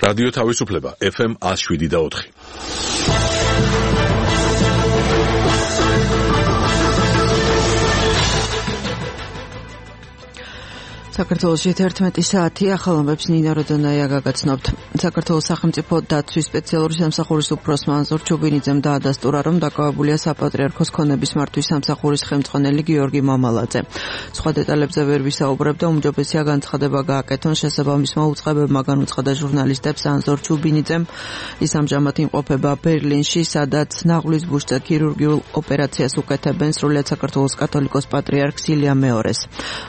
რადიო თავისუფლება FM 107.4. საქართველოში 11 საათი ახალამბებს ნინა როდონაია გაგაცნობთ. საქართველოს სახელმწიფო დაცვის სპეციალური სამსახურის უფროს მანზურ ჩუბინიძემ დაადასტურა, რომ დაკავებულია საპატრიარქოს ქონების მართვის სამსახურის ხელმძღვანელი გიორგი მამალაძე. სხვა დეტალებზე ვერ ვისაუბრებდა, უმჯობესია განცხადება გააკეთონ შესაბამისმა უწყებებმა, განუცხადა ჟურნალისტებს ანზორ ჩუბინიძემ. ის ამჟამად იმყოფება ბერლინში, სადაც ნაღლის ბუშზე ქირურგიულ ოპერაციას უკეთებენ სრულიად საქართველოს კათოლიკოს პატრიარქს ილია მეორეს.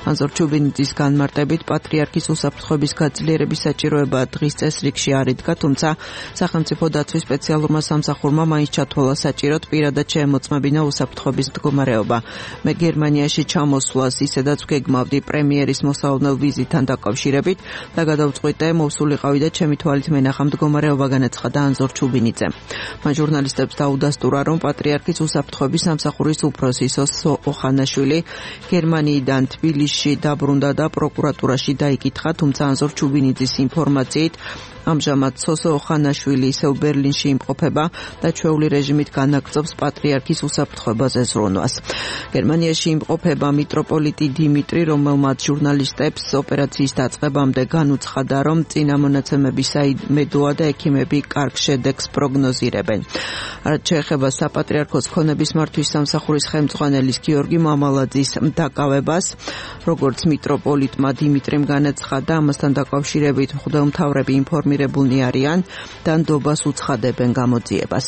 ანზორ ჩუბინიძის განმარტებით პატრიარქის უსაფრთხოების გაძლიერების საჭიროება დღის წესრიგში არ იდგა, თუმცა სახელმწიფო დაცვის სპეციალურმა სამსახურმა მაინც ჩათვალა საჭიროდ პირადად შეემოწმებინა უსაფრთხოების მდგომარეობა. მე გერმანიაში ჩამოსვლას ისედაც ვგეგმავდი პრემიერის მოსავალ ვიზიტთან დაკავშირებით და გადავწყვიტე მოვსულიყავი და ჩემი თვალით მენახა მდგომარეობა, განაცხადა ანზორ ჩუბინიძე. მან ჟურნალისტებს დაუდასტურა, რომ პატრიარქის უსაფრთხოების სამსახურის უფროსი სოსო ოხანაშვილი გერმანიიდან თბილისში დაბრუნდა და პროკურატურაში დაიკითხა, თუმცა ანზორ ჩუბინიძის ინფორმაციით ამჟამად სოსო ოხანაშვილი ისევ ბერლინში იმყოფება და ჩვეული რეჟიმით განაგრძობს პატრიარქის უსაფრთხოებაზე ზრუნვას. გერმანიაში იმყოფება მიტროპოლიტი დიმიტრი, რომელმაც ჟურნალისტებს ოპერაციის დაწყებამდე განუცხადა, რომ წინა მონაცემები საიმედოა და ექიმები კარგ შედეგს პროგნოზირებენ. რაც შეეხება საპატრიარქოს ქონების მართვის სამსახურის ხელმძღვანელის გიორგი მამალაძის დაკავებას, როგორც მიტროპოლიტმა დიმიტრიმ განაცხადა, ამასთან დაკავშირებით მღვდელმთავრები ინფორმირებულნი არიან და ნდობას უცხადებენ გამოძიებას.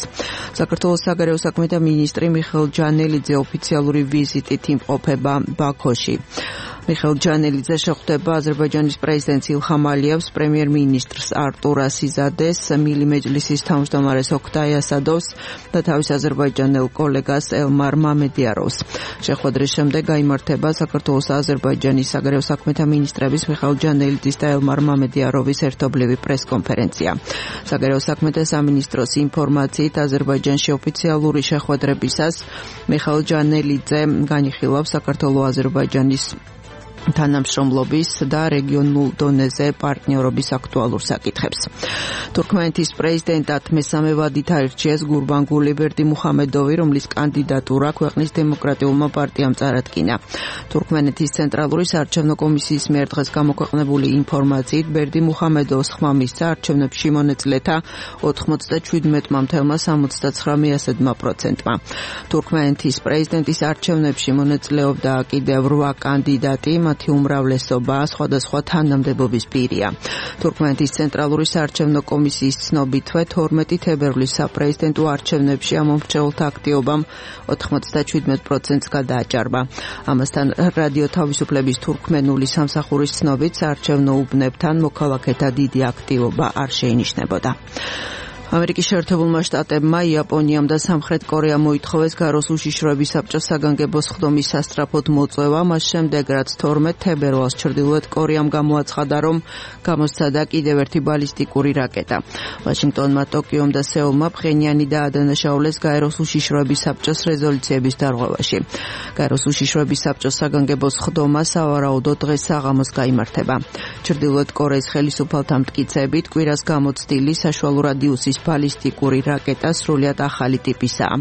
საქართველოს საგარეო საქმეთა მინისტრი მიხეილ ჯანელიძე ოფიციალური ვიზიტით იმყოფება ბაქოში. მიხეილ ჯანელიძე შეხვდება აზერბაიჯანის პრეზიდენტს ილჰამ ალიევს, პრემიერ-მინისტრს არტურ ასიზადეს, მილი მეჯლისის თავმჯდომარეს ოქთაი ასადოვს და თავის აზერბაიჯანელ კოლეგას ელმარ მამედიაროვს. შეხვედრის შემდეგ გაიმართება საქართველოს და აზერბაიჯანის საგარეო საქმეთა მინისტრების მიხეილ ჯანელიძის და ელმარ მამედიაროვის ერთობლივი პრესკონფერენცია. საგარეო საქმეთა სამინისტროს ინფორმაციით, აზერბაიჯანში ოფიციალური შეხვედრებისას მიხეილ ჯანელიძე განიხილავს საქართველოს-აზერბაიჯანის თანამშრომლობის და რეგიონულ დონეზე პარტნიორობის აქტუალურ საკითხებს. თურქმენეთის პრეზიდენტად მესამე ვადით აირჩიეს გურბანგული ბერდიმუხამედოვი, რომლის კანდიდატურა ქვეყნის დემოკრატიულმა პარტიამ წარადგინა. თურქმენეთის ცენტრალური საარჩევნო კომისიის მიერ დღეს გამოქვეყნებული ინფორმაციით, ბერდიმუხამედოვს ხმა მისცა არჩევნებში მონაწილეთა 97,79%. თურქმენეთის პრეზიდენტის არჩევნებში მონაწილეობდა კიდევ 8 კანდიდატი, მათი უმრავლესობა სხვადასხვა თანამდებობის პირია. თურქმენეთის ცენტრალური საარჩევნო კომისიის ცნობითვე 12 თებერვლის საპრეზიდენტო არჩევნებში ამომრჩეველთა აქტივობამ 97%-ს გადააჭარბა. ამასთან რადიო თავისუფლების თურქმენული სამსახურის ცნობით საარჩევნო უბნებთან მოქალაქეთა დიდი აქტივობა არ შეინიშნებოდა. ამერიკის შეერთებულმა შტატებმა იაპონიამ და სამხრეთ კორეამ მოითხოვეს გაროს უშიშროების საბჭოს საგანგებო სხდომის სასწრაფოდ მოწვევა, მას შემდეგ რაც 12 თებერვალს ჩრდილოეთ კორეამ გამოაცხადა, რომ გამოსცადა კიდევ ერთი ბალისტიკური რაკეტა. ვაშინგტონმა, ტოკიომ და სეულმა ფხენიანი დაადანაშაულეს გაეროს უშიშროების საბჭოს რეზოლუციების დარღვევაში. გაეროს უშიშროების საბჭოს საგანგებო სხდომა სავარაუდოდ დღეს საღამოს გაიმართება. ჩრდილოეთ კორეის ხელისუფალთა მტკიცებით, კვირას გამოცდილი საშუალო რადიუსის ბალისტიკური რაკეტა სრულიად ახალი ტიპისაა.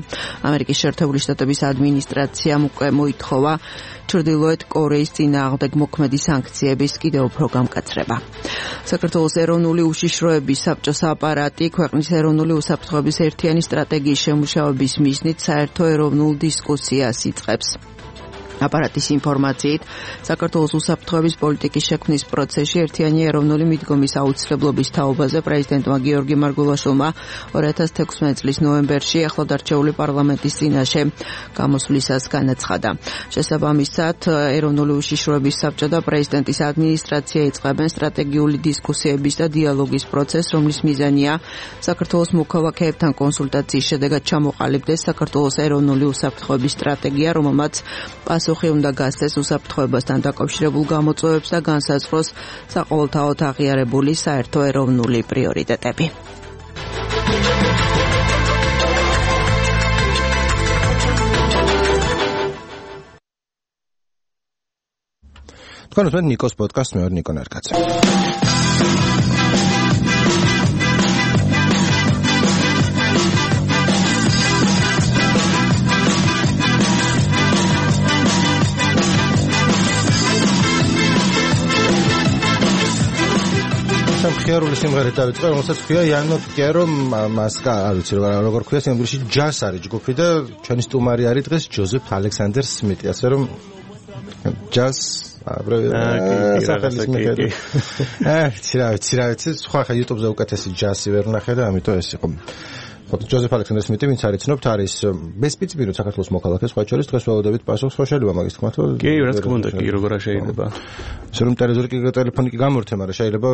ამერიკის შეერთებული შტატების ადმინისტრაციამ უკვე მოითხოვა ჩრდილოეთ კორეის წინააღმდეგ მოქმედი სანქციების კიდევ უფრო გამკაცრება. საქართველოს ეროვნული უშიშროების საბჭოს აპარატი ქვეყნის ეროვნული უსაფრთხოების ერთიანი სტრატეგიის შემუშავების მიზნით საერთო ეროვნულ დისკუსიას იწყებს. აპარატის ინფორმაციით, საქართველოს უსაფრთხოების პოლიტიკის შექმნის პროცესში ერთიანი ეროვნული მიდგომის აუცილებლობის თაობაზე პრეზიდენტმა გიორგი მარგულაშვილმა 2016 წლის ნოემბერში ახლადარჩეული პარლამენტის წინაშე გამოსვლისას განაცხადა. შესაბამისად, ეროვნული უშიშროების საბჭო და პრეზიდენტის ადმინისტრაცია იწყებენ სტრატეგიული დისკუსიების და დიალოგის პროცესს, რომლის მიზანია საქართველოს მოქალაქეებთან კონსულტაციის შედეგად ჩამოყალიბდეს საქართველოს ეროვნული უსაფრთხოების სტრატეგია, რომელმაც პასუხი უნდა გასცეს უსაფრთხოებასთან დაკავშირებულ გამოწვევებს და განსაზღვროს საყოველთაოდ აღიარებული საერთო ეროვნული პრიორიტეტები. თქვენ უსმენთ ნიკოს პოდკასტს, მე ვარ ნიკო ნარკაცი. მხიარული სიმღერით დავიწყე, რომელსაც ქვია Iano Piero Masca, არ ვიცი როგორ ქვია სინამდვილეში ჯაზ არის ჯგუფი და ჩვენი სტუმარი არის დღეს ჯოზეფ ალექსანდერ სმიტი, ასე რომ ჯაზ სახელის მიხედვით. ცირა, სხვა ხა YouTube-ზე უკეთესი ჯაზი ვერ ნახე და ამიტომ ეს იყო. ჯოზეფ ალექსანდერ სმიტი, ვინც არის ცნობთ, არის ბესპიცბირო საქართველოს მოქალაქე, სხვა შორის დღეს ველოდებით პასუხს, ხო შეიძლება მაგის თქმა, თუ? კი, რა თქმა უნდა, კი, როგორ შეიძლება. რომ ტელефონი კი გამორთე, მაგრამ შეიძლება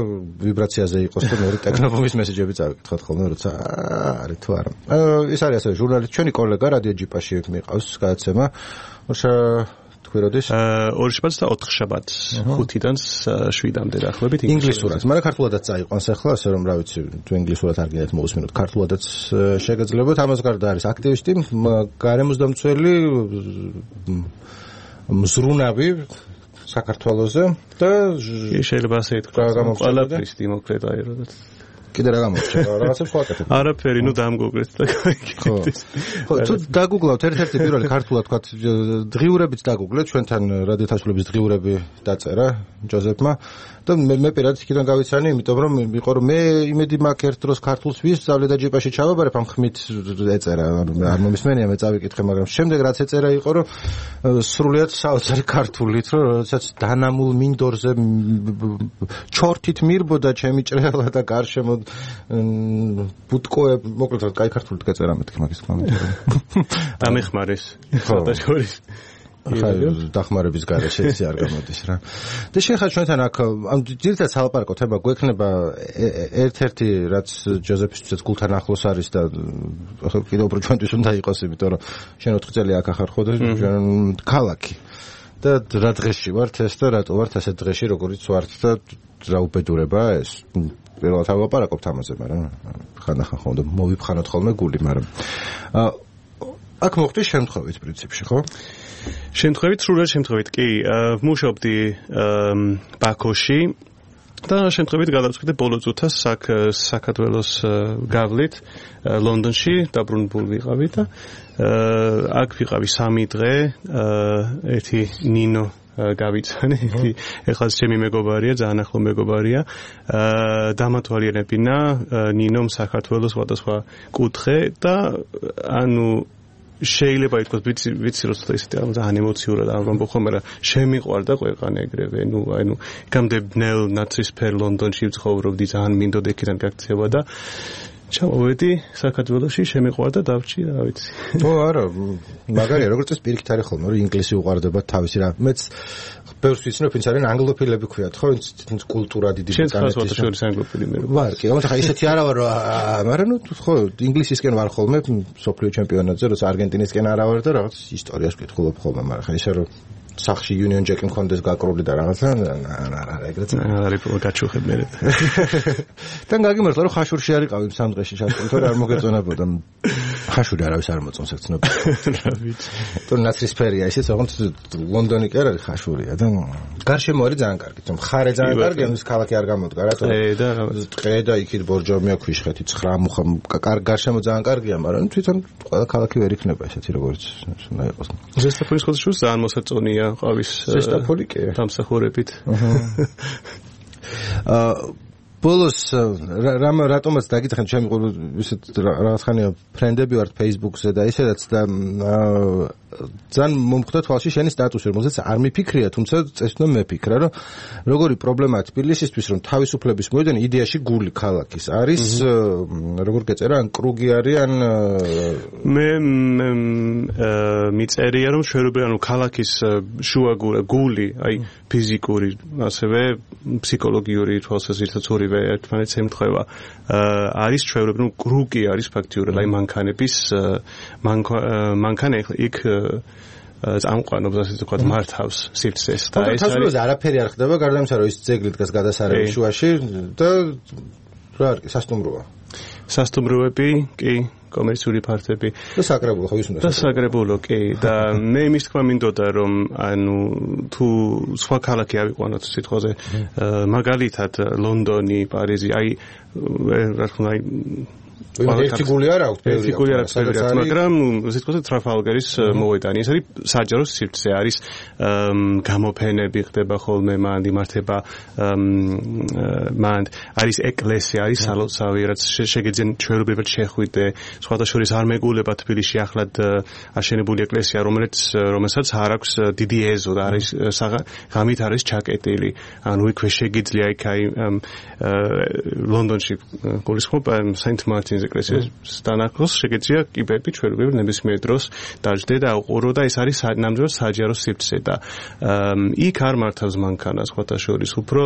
ვიბრაციაზე იყოს და მეორე ტექნოფონის მესეჯები წავიკითხოთ ხოლმე, როცა არის თუ არა. ეს არის ასევე ჟურნალისტი, ჩვენი კოლეგა რადიო ჯიპაში მიყავს გადაცემა. ორი შაბათს და 4 შაბათს 5-დან 7-მდე დაახლოებით ინგლისურად. მაგრამ ქართულადაც წაიყვანს ახლა, ასე რომ რა ვიცი, თუ ინგლისურად არ გინდათ მოусმინოთ, ქართულადაც შეგეძლებათ. ამას გარდა არის აქტივისტი, გარემოსდამცველი, მზრუნავი საქართველოზე და შეიძლება ასე ითქვას, ყველაფრის დემოკრატია როდესაც კიდე რა გამოჩნდა რაღაცებს ვაკეთებ. არაფერი, ნუ დამგოგრეთ და გაიგეთ. ხო, თუ დაგუგლავთ ერთ-ერთი პირველი ქართულად თქვა დღიურებიც დაგუგლეთ, ჩვენთან რადიოთაშულების დღიურები დაწერა ჯოზეფმა და მე პირადად იქიდან გავიცანი, იმიტომ რომ იყო რომ მე იმედი მაქვს ერთ დროს ქართულს ვისწავლე და ჯიპაში ჩავაბარებ, ამ ხმით ეწერა, არ მომისმენია, მე წავიკითხე, მაგრამ შემდეგ რაც ეწერა იყო რომ სრულიად საოცარი ქართულით, რომ როდესაც დანამულ მინდორზე ჩორთით მირბოდა ჩემი ჭრელა და გარშემო ბუტკოე, მოკლედ კაი ქართულით გეწერა მეთქი მაგის თქმა უნდა. დამეხმარეს. ხოდა შორის დახმარების გარეშე ისე არ გამოდის რა. და შეხა ჩვენთან აქ ამ ძირითადად სალაპარაკო თემა გვექნება ერთ-ერთი რაც ჯოზეფისთვისაც გულთან ახლოს არის და კიდევ უფრო ჩვენთვის უნდა იყოს, იმიტომ რომ შენ 4 წელი აქ ახარ ხო და ქალაქი. და რა დღეში ვართ ეს და რატო ვართ ასეთ დღეში, როგორიც ვართ და რა უბედურებაა ეს. პირველად ავაპარაკობთ ამაზე, მაგრამ ხანდახან ხომ მოვიფხანოთ ხოლმე გული, მაგრამ აქ მოხდი შემთხვევით პრინციპში, ხო? შემთხვევით, სრულად შემთხვევით, კი, ვმუშაობდი ბაქოში და შემთხვევით გადავწყვიტე ბოლო წუთას საქართველოს გავლით ლონდონში დაბრუნებული ვიყავი და აქ ვიყავი 3 დღე, ერთი ნინო გავიცანი, ეხლა ჩემი მეგობარია, ძალიან ახლო მეგობარია, დამათვალიერებინა ნინომ საქართველოს სხვადასხვა კუთხე და ანუ შეიძლება ითქვას ვიცი როცა ისეთი ძალიან ემოციურად ამბობ ხოლმე, მაგრამ შემიყვარდა ქვეყანა ეგრევე, ანუ იქამდე ბნელ ნაცრისფერ ლონდონში ვცხოვრობდი, ძალიან მინდოდა იქიდან გაქცევა და ჩავავედი საქართველოში, შემიყვარდა დავჭი, რა ვიცი. ო არა, მაგარია, როგორც ეს პირიქით არის ხოლმე, რომ ინგლისი უყვარდება თავისი რა. მეც ბევრს ვიცნობ, ვინც არიან ანგლოფილები ქვიათ, ხო, ვინც კულტურა დიდი ბრძანეთის. შენ ხარ შორის ანგლოფილი მე. ვარ, კი, ამიტომ ხა ისეთი არა ვარ, მაგრამ ნუ ხო, ინგლისისკენ ვარ ხოლმე, სოფლიო ჩემპიონატზე, როცა არგენტინისკენ არა ვარ და რაღაც ისტორიას ვკითხულობ ხოლმე, მაგრამ ხა ისე რომ სახში Union Jack-ი მქონდეს გაკრული და რაღაცა არა ეგრეთ არის გაჩუხებ მე. თან გაგიმართლა რომ ხაშურში არიყავი სამ დღეში ჩატყობ, თორე არ მოგეწონებოდა. ხაშური არავის არ მოწონს ეგ ცნობილი. რა ვიცი. თუ ნაცრისფერია ისიც, ოღონდ ლონდონი კი არ არის ხაშურია და გარშემო არის ძალიან კარგი. თუ მხარე ძალიან კარგი, ამის ქალაქი არ გამოდგა, რატო? ტყე და იქით ბორჯომია, ქვიშხეთი, 9 მუხა, გარშემო ძალიან კარგია, მაგრამ თვითონ ყველა ქალაქი ვერ იქნება ესეთი როგორც უნდა იყოს. ზესტაფონის ხოთშუს ძალიან მოსაწონია ყავის ზესტაფონი კი დამსახურებით. ბოლოს რატომაც დაგითხენ, ჩემი ისეთ რაღაცხანია ფრენდები ვართ Facebook-ზე და ისედაც და ძალიან მომხვდა თვალში შენი სტატუსი, რომელზეც არ მიფიქრია, თუმცა წესno მეფიქრა, რომ როგორი პრობლემაა თბილისისთვის, რომ თავისუფლების მოედანი იდეაში გული ქალაქის არის, როგორ გეწერა, ან კრუგი არის, ან მე მიწერია, რომ შეუძლია, ანუ ქალაქის შუაგული გული, აი ფიზიკური, ასევე ფსიქოლოგიური თვალსაზრისით ორივე ერთმანეთს ემთხვევა. არის ჩვეულებრივ, ნუ კრუგი არის ფაქტიურად, აი მანქანების მანქანა იქ წამყვანობს, ასე ვთქვათ, მართავს სივრცეს და ეს არის არაფერი არ ხდება, გარდა იმისა, რომ ის ძეგლი დგას გადასარევი შუაში და რა არის, სასტუმროა. სასტუმროები, კი, კომერციული ფართები და საკრებულო ხო ის უნდა. და საკრებულო, კი, და მე იმის თქმა მინდოდა, რომ ანუ თუ სხვა ქალაქი ავიყვანოთ სიტყვაზე, მაგალითად ლონდონი, პარიზი, აი რა თქმა უნდა ერთი გული არ აქვს, ერთი გული არ აქვს, მაგრამ ისე თქვა ტრაფალგარის მოედანი, ეს არის საჯარო სივრცე, არის გამოფენები ხდება ხოლმე, მანდ იმართება მანდ არის ეკლესია, არის სალოცავი, რაც შეგეძენ ჩვეულებრივად შეხვიდე, სხვათა შორის არ მეგულება თბილისში ახლად აშენებული ეკლესია, რომელსაც არ აქვს დიდი ეზო და არის ღამით არის ჩაკეტილი, ანუ იქვე შეგიძლია იქ აი ლონდონში გულისხმობ Saint Martin's ეკლესიას დანაკლოს შეგეძლია კიბები ჩვეულებრივად ნებისმიერ დროს დაждდე და აუყურო და ეს არის ნამდვილად საჯარო სივრცე და იქ არ მართავს მანქანას სხვათა შორის უფრო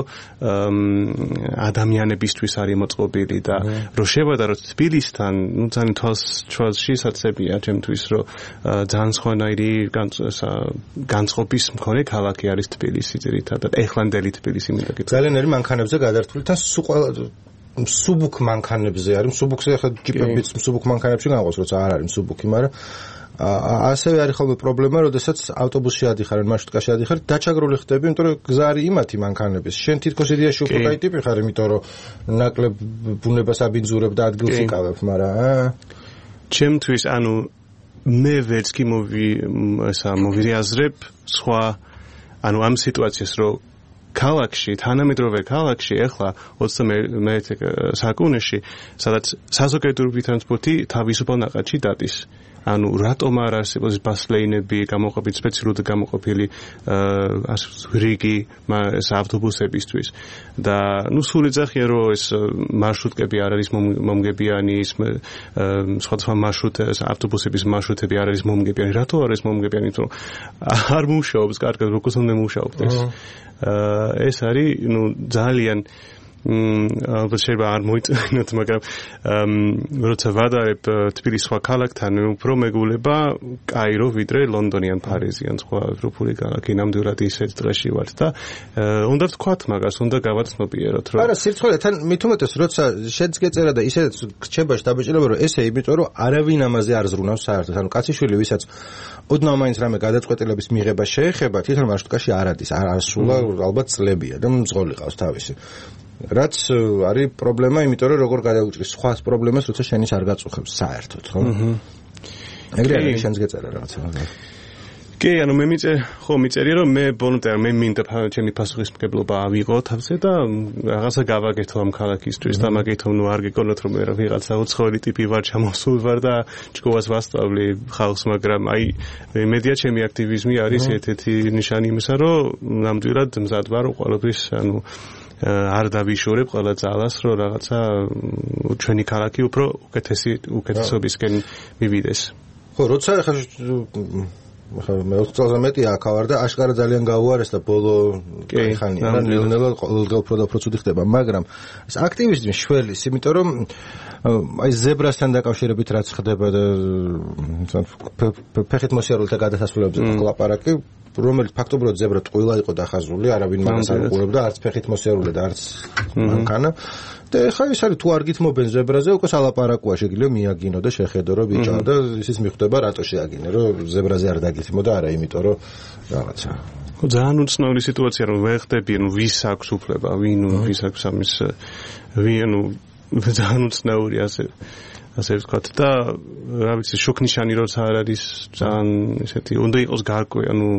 ადამიანებისთვის არის მოწყობილი და რო შევადაროთ თბილისთან ნუ ძალიან თვალში საცებია ჩემთვის რომ ძალიან სხვანაირი განწყობის მქონე ქალაქი არის თბილისი ძირითადად ეხლანდელი თბილისი მინდა გითხრათ ძალიან არის მანქანებზე გადართული თან მსუბუქ მანქანებზე არის მსუბუქზე ახლა ჯიპებიც მსუბუქ მანქანებში განაყოს როცა არ არის მსუბუქი მაგრამ ასევე არის ხოლმე პრობლემა როდესაც ავტობუსში ადიხარ ან მარშრუტკაში ადიხარ დაჩაგრული ხდები იმიტომ რომ გზა არის იმათი მანქანების შენ თითქოს იდეაში უფრო კაი ტიპი ხარ იმიტომ რომ ნაკლებ ბუნებას აბინძურებ და ადგილს იკავებ მაგრამ ჩემთვის ანუ მე ვერც კი მოვირიაზრებ სხვა ანუ ამ სიტუაციას რომ ქალაქში, თანამედროვე ქალაქში, ახლა 21 საუკუნეში, სადაც საზოგადოებრივი ტრანსპორტი თავისუფალ ნაყადში დადის. ანუ რატომ არ არსებობს ბასლეინები, გამოყოფილი სპეციალურად გამოყოფილი რიგი ეს ავტობუსებისთვის და ნუ სულ ეძახიან რომ ეს მარშრუტკები არ არის მომგებიანი, სხვადასხვა მარშრუტების ავტობუსების მარშრუტები არ არის მომგებიანი. რატო არ არის მომგებიანი? იმიტომ არ მუშაობს კარგად, როგორც უნდა მუშაობდეს. ეს არის ნუ ძალიან ალბათ შეიძლება არ მოიწინოთ, მაგრამ როცა ვადარებ თბილისის სხვა ქალაქთან, უფრო მეგულება კაირო ვიდრე ლონდონი ან პარიზი ან სხვა ევროპული ქალაქი. ნამდვილად ისეთ დღეში ვართ და უნდა ვთქვათ მაგას, უნდა გავაცნობიეროთ, რომ არა, სირცხვეule თან მით უმეტეს, როცა შენც გეწერა და ისედაც რჩებაში დაბეჭდილება, რომ ესე იმიტომ, რომ არავინ ამაზე არ ზრუნავს საერთოდ. ანუ კაციშვილი, ვისაც ოდნავ მაინც რამე გადაწყვეტილების მიღება შეეხება, თვითონ მარშრუტკაში არ ადის, არ სულა ალბათ წლებია და მძღოლი ყავს თავისი. რაც არის პრობლემა, იმიტომ რომ როგორ გადაუჭრის სხვა პრობლემას, როცა შენის არ გაწუხებს საერთოდ, ხო? ეგრე არის შენს გეწერა რაღაცა. კი, ანუ მე მიწერია რომ მე ბოლომდე მე მინდა ჩემი პასუხისმგებლობა ავიღო თავზე და რაღაცა გავაკეთო ამ ქალაქისთვის და მაგითო ნუ არ გეკონოთ რომ მე ვიღაცა უცხოელი ტიპი ვარ, ჩამოსულ ვარ და ჭკუას ვასწავლი ხალხს, მაგრამ აი მედია ჩემი აქტივიზმი არის ერთ-ერთი ნიშანი იმისა, რომ ნამდვილად მზად ვარ ყოველთვის ანუ არ დავიშორებ ყველა ძალას, რომ რაღაცა ჩვენი ქალაქი უფრო უკეთესობისკენ მივიდეს. ხო, როცა მე 4 წელზე მეტია აქ ვარ და აშკარა ძალიან გაუარეს და ბოლო ხანია და ნელ-ნელა უფრო და უფრო ცუდი ხდება, მაგრამ ეს აქტივიზმი შველის, იმიტომ რომ აი ზებრასთან დაკავშირებით რაც ხდება და ფეხით მოსიარულთა გადასასვლელებზე ლაპარაკი რომელიც ფაქტობრივად ზებრა ტყუილა იყო დახაზული, არავინ მაგას არ უყურებდა, არც ფეხით მოსიარულე და არც მანქანა. და ხა ის არის თუ არ გითმობენ ზებრაზე, უკვე სალაპარაკოა, შეგიძლია მიაგინო და შეხედო რომ ბიჭო და ისიც მიხვდება რატო შეაგინე, რომ ზებრაზე არ დაგითმო და არა, იმიტომ რომ რაღაცა. ხო, ძალიან უცნაური სიტუაცია რომ ვერ ხდები, ანუ ვის აქვს უფლება, ვის აქვს ამის ძალიან უცნაური ასე ვთქვათ და რა ვიცი შოქნიშანი როცა არ არის ძალიან ესეთი უნდა იყოს გარკვევი ანუ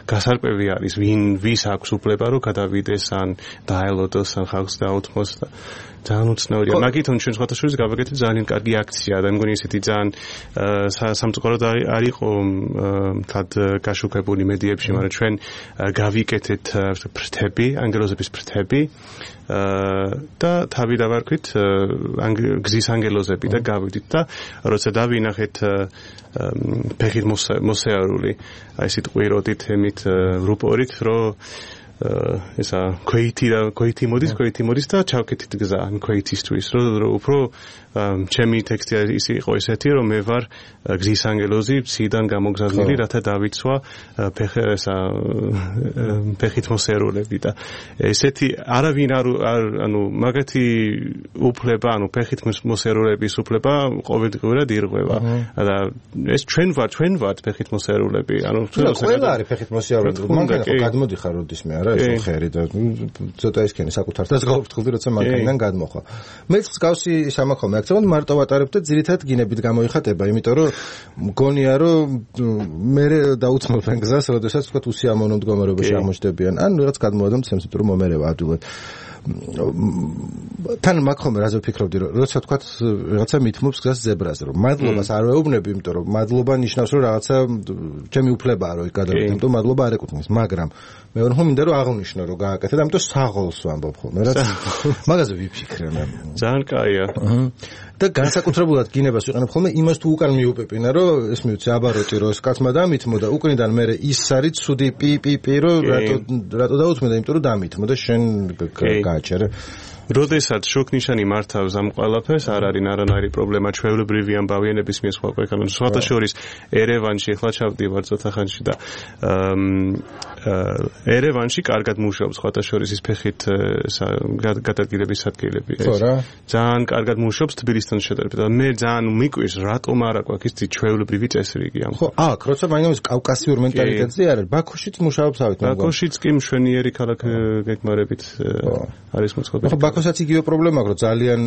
გასარკვევი არის ვის აქვს უფლება რომ გადავიდეს ან დაელოდოს ან ხალხს დაუთმოს და ძალიან უცნაურია მაგითონ ჩვენ სხვათა შორის გავაკეთეთ ძალიან კარგი აქცია და მგონი ესეთი ძალიან სამწუხაროდ არ იყო თად გაშუქებული მედიებში მაგრამ ჩვენ გავიკეთეთ ფრთები ანგელოზების ფრთები და თავი დავარქვით გზის ანგელოზები და გავიდით და როცა დავინახეთ ფეხით მოსეარული აი ესეთ ყვიროდით ემით რუპორით რომ ესა ქოითი მოდის და ჩავკეთით გზა ქოითისთვის რომ უფრო ჩემი ტექსტი ის იყო ესეთი რომ მე ვარ გზის ანგელოზი ციდან გამოგზავნილი რათა დავიცვა ფეხით მოსეარულები და ესეთი არავინ ანუ მაგათი უფლება ანუ ფეხით მოსეარულების უფლება ყოველდღიურად ირღვევა და ეს ჩვენ ვართ ფეხით მოსეარულები ანუ ყველა არის ფეხით მოსეარულები მანქანა გადმოდიხარ როდისმე არა რა ეს ხერი და ცოტა ისქენი საკუთართაც გავფრთხილდი როცა მანქანიდან გადმოხვა. მეც მსგავსი სამახო მეაქცევენ მარტო ვატარებ და ძირითადად გინებით გამოიხატება, იმიტომ რომ მგონია რომ მე დაუცნობენ გზას, როდესაც თქვა უსიამოვნო მდგომარეობაში აღმოჩნდებიან. ან რაღაც გადმოვადამ ცემს, რომ მომერევა ადვილად. თან მაგ ხომ რაზე ვფიქრობდი რომ როცა თქვა რაღაცა მithმობს გზას ზებრაზე რომ მადლობას არ ვეუბნები იმიტომ რომ მადლობა ნიშნავს რომ რაღაცა ჩემი უფლებაა რომ გადავიდე იმიტომ მადლობა არ ეკუთვნის მაგრამ მე ვარ მინდა რომ აღნიშნო რომ გააკეთე და ამიტომ საღოლს ვამბობ ხოლმე რაც მაგაზე ვიფიქრე მე ძალიან კაია და განსაკუთრებულად გინებას ვიყენებ ხოლმე იმას თუ უკან მიუპეპინა რომ ეს მივცე აბაროტი რომ ეს კაცმა დამithმო და უკნიდან მე ის არის ცუდი პი რო რატო დაუთმე და იმიტომ რომ დამithმო და შენ გააჩერე როდესაც შუქნიშანი მართავს ამ ყველაფერს არ არის არანაირი პრობლემა ჩვეულებრივი ამბავიანების მიესხვა ქვეყანაში სხვათა შორის ერევანში ახლა ჩავდივარ ცოტა ხანში და ერევანში კარგად მუშაობს სხვათა შორის ის ფეხით გადადგილების ადგილები ძალიან კარგად მუშაობს თბილისთან შედარებით და მე ძალიან მიკვირს რატომ არ აქვს ის ჩვეულებრივი წესრიგი ამ ხო აქ როცა მაინც კავკასიურ მენტალიტეტზე არის ბაქოშიც მუშაობს ავით ბაქოშიც კი მშვენიერი ქალაქ გეგმარებით არის მოწყობილი ბაქოსაც იგივე პრობლემა აქვს რომ ძალიან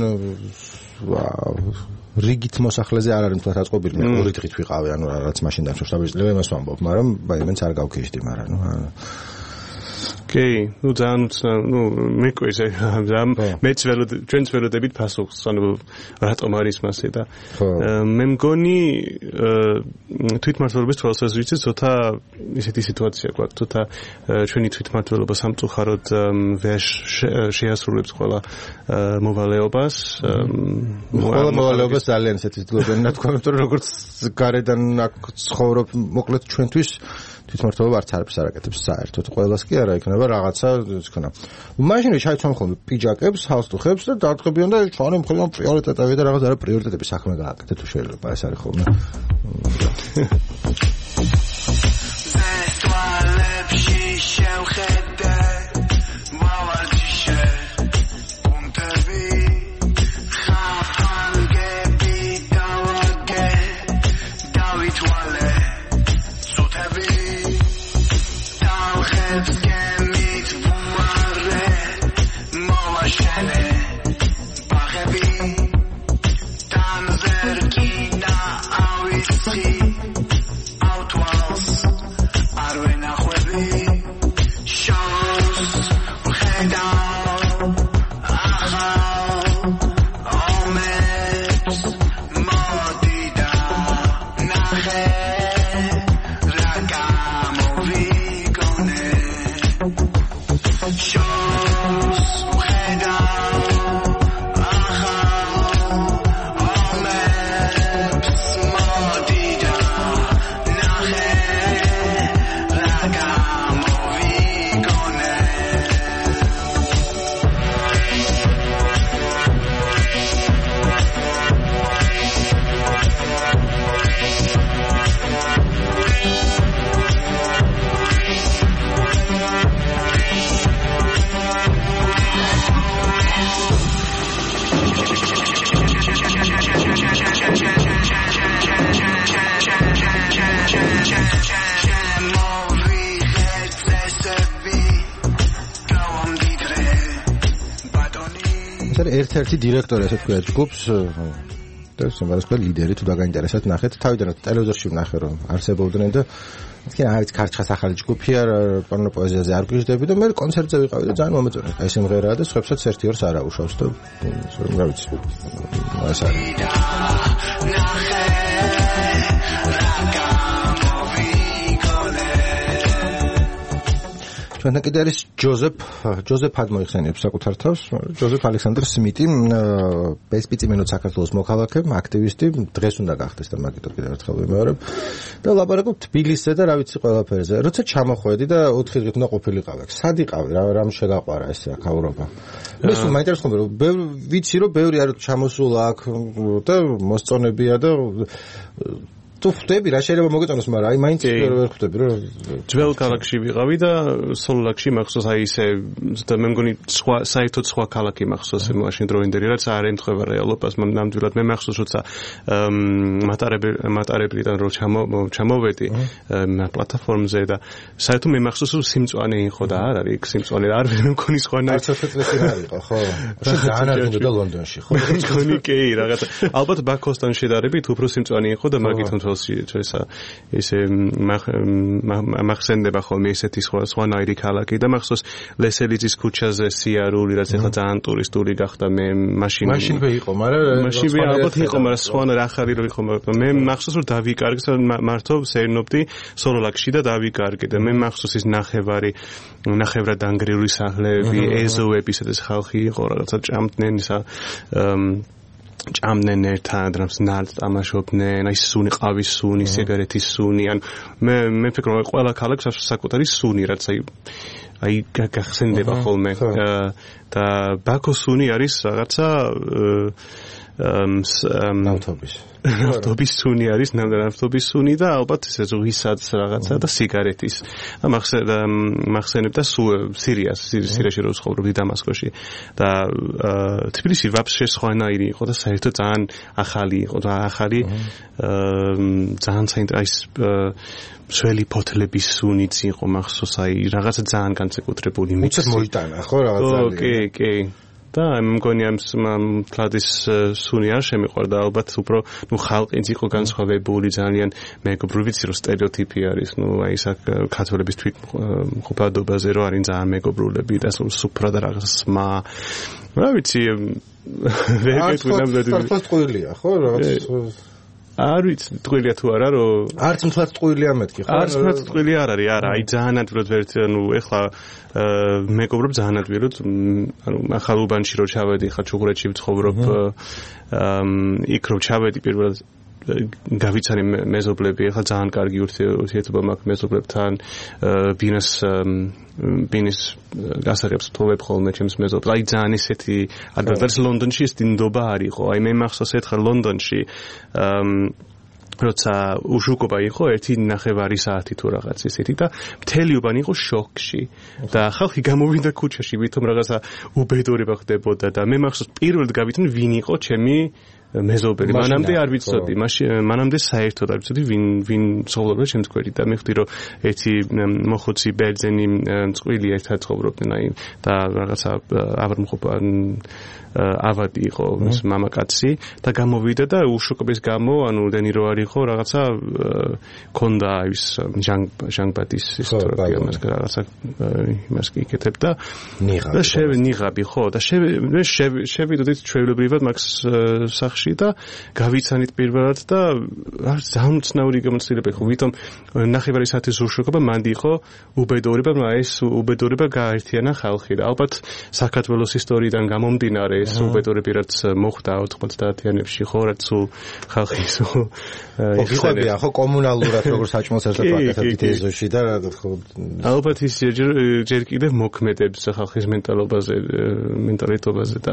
რიგით მოსახლეზე არ არის თქო დაწყობილი მე ორი დღით ვიყავი ანუ რაღაც მაშინ დამშავშაბეჭდილება იმას ვამბობ მაგრამ მაინც არ გავქიშდი მაგრამ კი, მეკვირს მეც ჩვენც ველოდებით პასუხს, ანუ რატომ არის მასე და მე მგონი თვითმმართველობის თვალსაზრისით ცოტა ისეთი სიტუაცია გვაქვს, ცოტა ჩვენი თვითმმართველობა სამწუხაროდ ვერ შეასრულებს ყველა მოვალეობას. ყველა მოვალეობას ძალიან ისეთი ძლებენ თქვა, იმიტომ რომ როგორც გარედან აქ ცხოვრობ, მოკლედ ჩვენთვის თვითმმართველობა არც არაფერს არ აკეთებს საერთოდ ყველას კი არა იქნება რაღაცა თქონა მაშინ ჩაიცვამ ხოლმე პიჯაკებს ჰალსტუხებს და დარტყებიან და ჩვენი მხოლოდ პრიორიტეტები და რაღაც არა პრიორიტეტების საქმე გააკეთე თუ შეიძლება ეს არის ხოლმე ერთ-ერთი დირექტორი ასე თქვა ჯგუფს და სიმღერას ყველა ლიდერი თუ დაგაინტერესებთ ნახეთ თავიდან ტელევიზორში ვნახე რომ არსებობდნენ და თქვენ აიც ქარჩხას ახალი ჯგუფია პანო პოეზიაზე არ გვიждები და მე კონცერტზე ვიყავი და ძალიან მომეწონა აი სიმღერაა და სხვებსაც ერთი ორს არ აუშავს და რა ვიცი ეს არის ჩვენთან კიდე არის ჯოზეფ ადმოიხსენიებს საკუთარ თავს ჯოზეფ ალექსანდრ სმიტი ბესპიციმენო საქართველოს მოქალაქე აქტივისტი დღეს უნდა გახდეს და მაგიტო კიდე ერთხელ ვიმეორებ და ლაპარაკობ თბილისზე და რა ვიცი ყველაფერზე როცა ჩამოხვედი და 4 დღით უნდა ყოფილიყავი სად იყავი რამ შეგაყვარა ეს აქაურობა მე სულ მაინტერესებდა რომ ვიცი რომ ბევრი არის ჩამოსულა აქ და მოსწონებია და თუ ხვდები რა შეიძლება მოგეწონოს, მაგრამ აი მაინც ვერ ხვდები რომ ძველ ქალაქში ვიყავი და სოლოლაკში მახსოვს აი ესე და მე მგონი საერთოდ სხვა ქალაქი მახსოვს მაშინ დროინდელი რაც არ ემთხვევა რეალობას ნამდვილად მე მახსოვს როცა მატარებლიდან რო ჩამოვედი პლატფორმზე და საერთოდ მე მახსოვს რომ სიმწვანე იყო და არ არის სიმწვანე არ მგონი სხვანაირ არც წესი არ იყო ხო ძალიან არ გინდა ლონდონში ხო მგონი კი რაღაცა ალბათ ბაქოსთან შედარებით უფრო სიმწვანე იყო და მაგით თვალში ესე მახსენდება ხოლმე ესეთი სხვანაირი ქალაქი და მახსოვს ლესელიძის ქუჩაზე სიარული რაც ახლა ძალიან ტურისტული გახდა მე მაშინვე იყო მაგრამ მაშინვე ალბათ იყო მაგრამ სხვანაირ ახალი რო იყო მაგრამ მე მახსოვს რომ დავიკარგე მართო სერნობდი სოლოლაკში და დავიკარგე და მე მახსოვს ის ნახევრად დანგრეული სახლები ეზოები სადაც ხალხი იყო რაღაცა ჭამდნენ ისა ჭამდნენ ერთად რამს ნალს თამაშობდნენ აი სუნი ყავის სუნი სიგარეტის სუნი ან მე ფიქრობ ყველა ქალაქს აქვს საკუთარი სუნი რაც აი გახსენდება ხოლმე და ბაქოს სუნი არის რაღაცა ნავთობის სუნი არის ნავთობის სუნი და ალბათ ესე ზღვისაც რაღაცა და სიგარეტის მახსენებდა სირიაში რო ცხოვრობდი დამასკოში და თბილისი ვაფშე სხვანაირი იყო და საერთოდ ძალიან ახალი იყო და ახალი ძალიან საინტერესო სველი ფოთლების სუნიც იყო მახსოვს აი რაღაცა ძალიან განსაკუთრებული მიცეთ მოიტანა ხო რაღაცა კი და მგონი ამ თლადის სუნი არ შემიყვარდა ალბათ უფრო ხალხიც იყო განსხვავებული ძალიან მეგობრული ვიცი რომ სტერეოტიპი არის აი ეს ქართველების თვითმყოფადობაზე რომ არის ძალიან მეგობრულები და სუფრა და რაღაც სმა რა ვიცი ვერ გეტყვი ნამდვილად ტყუილია ხო რაღაც არ ვიცი ტყუილია თუ არა რომ არც მთლად ტყუილია მეთქი ხო არც მთლად ტყუილი არ არის არა აი ძალიან ადვილად ვერ ეხლა მეგობრობ ძალიან ადვილად ანუ ახალ უბანში რო ჩავედი ხა ჩუღურეთში ვცხოვრობ იქ რო ჩავედი პირველად გავიცანი მეზობლები ახლა ძალიან კარგი ურთიერთობა მაქვს მეზობლებთან ბინის გასაღებს თოვებ ხოლმე ჩემს მეზობლებს აი ძალიან ესეთი ადრე ლონდონში ეს დინდობა არ იყო აი მე მახსოვს ერთხელ ლონდონში როცა უშუქობა იყო 1.5 საათი თუ რაღაც ისეთი და მთელი უბანი იყო შოკში და ხალხი გამოვიდა ქუჩაში ვითომ რაღაცა უბედურება ხდებოდა და მე მახსოვს პირველად გავიცანი ვინ იყო ჩემი მეზობელი მანამდე არ ვიცოდი მანამდე საერთოდ არ ვიცოდი ვინ ცხოვრობდა ჩემს გვერდით და მივხვდი რომ ერთი მოხუცი ბერძენი წყვილი ერთად ცხოვრობდნენ აი და რაღაცა ავადი იყო მის მამაკაცი და გამოვიდა და უშუქობის გამო ანუ დენი რო არ იყო რაღაცა ქონდა ის ჟანგბადის ისტორია მას რაღაცა იმას იკეთებდა და ნიღაბი ხო და შევიდოდით ჩვეულებრივად მაქს სახში და გავიცანით პირველად და ძალიან უცნაური გამოცდილება იყო ვითომ ნახევარი საათის უშუქობა მანდი იყო უბედურება მაგრამ ეს უბედურება გააერთიანა ხალხი და ალბათ საქართველოს ისტორიიდან გამომდინარე ეს უბედურები რაც მოხდა 90-იანებში ხო რაც ხალხი იხებია ხო კომუნალურად როგორ საჭმელს ერთად ვაკეთებთ ეზოში და რა თქმა უნდა ალბათ ის ჯერ კიდევ მოქმედებს ხალხის მენტალიტეტობაზე და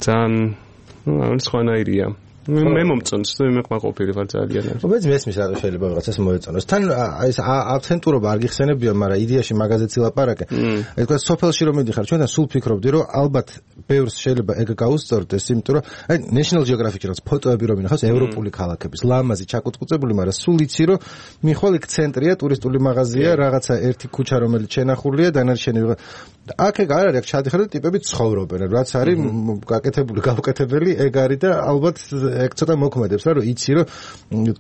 ძალიან სხვანაირია მე მომწონს მე ყოფილი ვარ ძალიან უბედს მესმის რა შეიძლება რაღაცას მოეწონოს თან ეს აქცენტურობა არ გიხსენებია მაგრამ იდეაში მაგაზეც ილაპარაკე ეს თქვა სოფელში რომ მიდიხარ ჩვენთან სულ ფიქრობდი რომ ალბათ ბევრს შეიძლება ეგ გაუსწორდეს იმიტომ რომ აი National Geographic-ში რაც ფოტოები რომ ინახავს ევროპული ქალაქების ლამაზი ჩაკუწყუწებული მაგრამ სულ იცი რომ მიხვალ იქ ცენტრია ტურისტული მაღაზია რაღაცა ერთი ქუჩა რომელიც შენახულია დანარჩენი აქ ეგ არ არის ჩადიხარ და ტიპები ცხოვრობენ რაც არის გაკეთებული გავკეთებელი ეგ არის და ალბათ ეგ ცოტა მოქმედებს რა რომ იცი რომ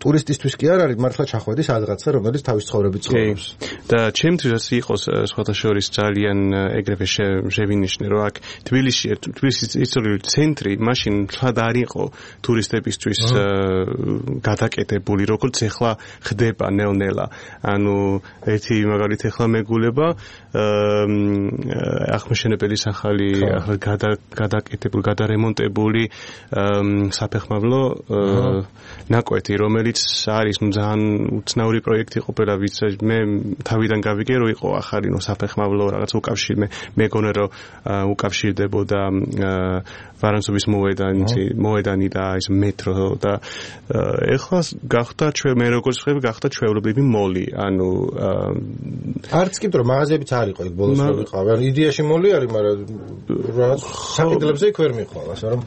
ტურისტისთვის კი არ არის მართლა ჩახვედის რაღაცა რომელიც თავის ცხოვრებით ცხოვრობს და ჩემთვის იყოს სხვათა შორის ძალიან ეგრევე შევინიშნე რომ აქ თბილისის ისტორიული ცენტრი მაშინ თლად არ იყო ტურისტებისთვის გადაკეთებული როგორც ეხლა ხდება ნელ-ნელა ანუ ერთი მაგალითი ეხლა მეგულება აღმაშენებელი სახალი ახლა გადაკეთებული გადარემონტებული საფეხმავლო საფეხმავლო ნაკვეთი, რომელიც არის ძალიან უცნაური პროექტი ყოფილა, ვიც მე თავიდან გავიგე, რომ იყო ახალი საფეხმავლო რაღაც უკავშირი, მე გონე რომ უკავშირდებოდა ვარანცობის მოედანი და ის მეტრო და ეხლა გახდა მე როგორც ხები გახდა ჩვეულებრივი მოლი, ანუ არც კი რომ მაღაზიებიც არ იყო იქ ბოლოს რო ვიყავი, ანუ იდეაში მოლი არის, მაგრამ რაღაც საკითხებზე იქ ვერ მიხვალას, რომ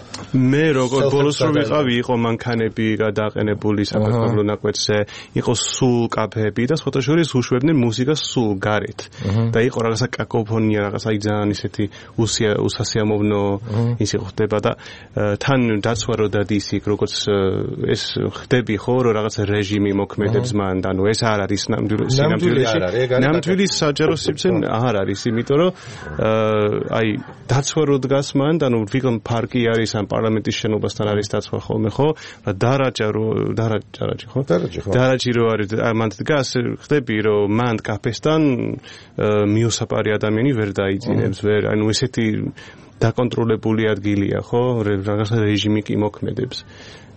მე როგორც ბოლოს რო ვიყავი, იყო მანქანები გადაყენებული საფეხმავლო ნაკვეთზე, იყო სულ კაფეები და სხვათა შორის უშვებდნენ მუსიკას სულ გარეთ და იყო რაღაცა კაკოფონია, რაღაცა ძალიან ისეთი უსასიამოვნო ის იყო ხდება და თან დაცვა რო დადის იქ როგორც ეს ხდები ხო რომ რაღაც რეჟიმი მოქმედებს მან და ნუ ეს არ არის ნამდვილი საჯარო სივრცე არ არის, იმიტომ რომ აი დაცვა რო დგას მან და ნუ ვიღამ პარკი არის ან პარლამენტის შენობასთან არის დაცვა ხოლმე ხო და დარაჯი რო არის მან დგას ხდები რომ მან კაფესთან მიუსაპარი ადამიანი ვერ დაიძინებს ვერ ანუ ესეთი დაკონტროლებული ადგილია ხო რაღაცა რეჟიმი კი მოქმედებს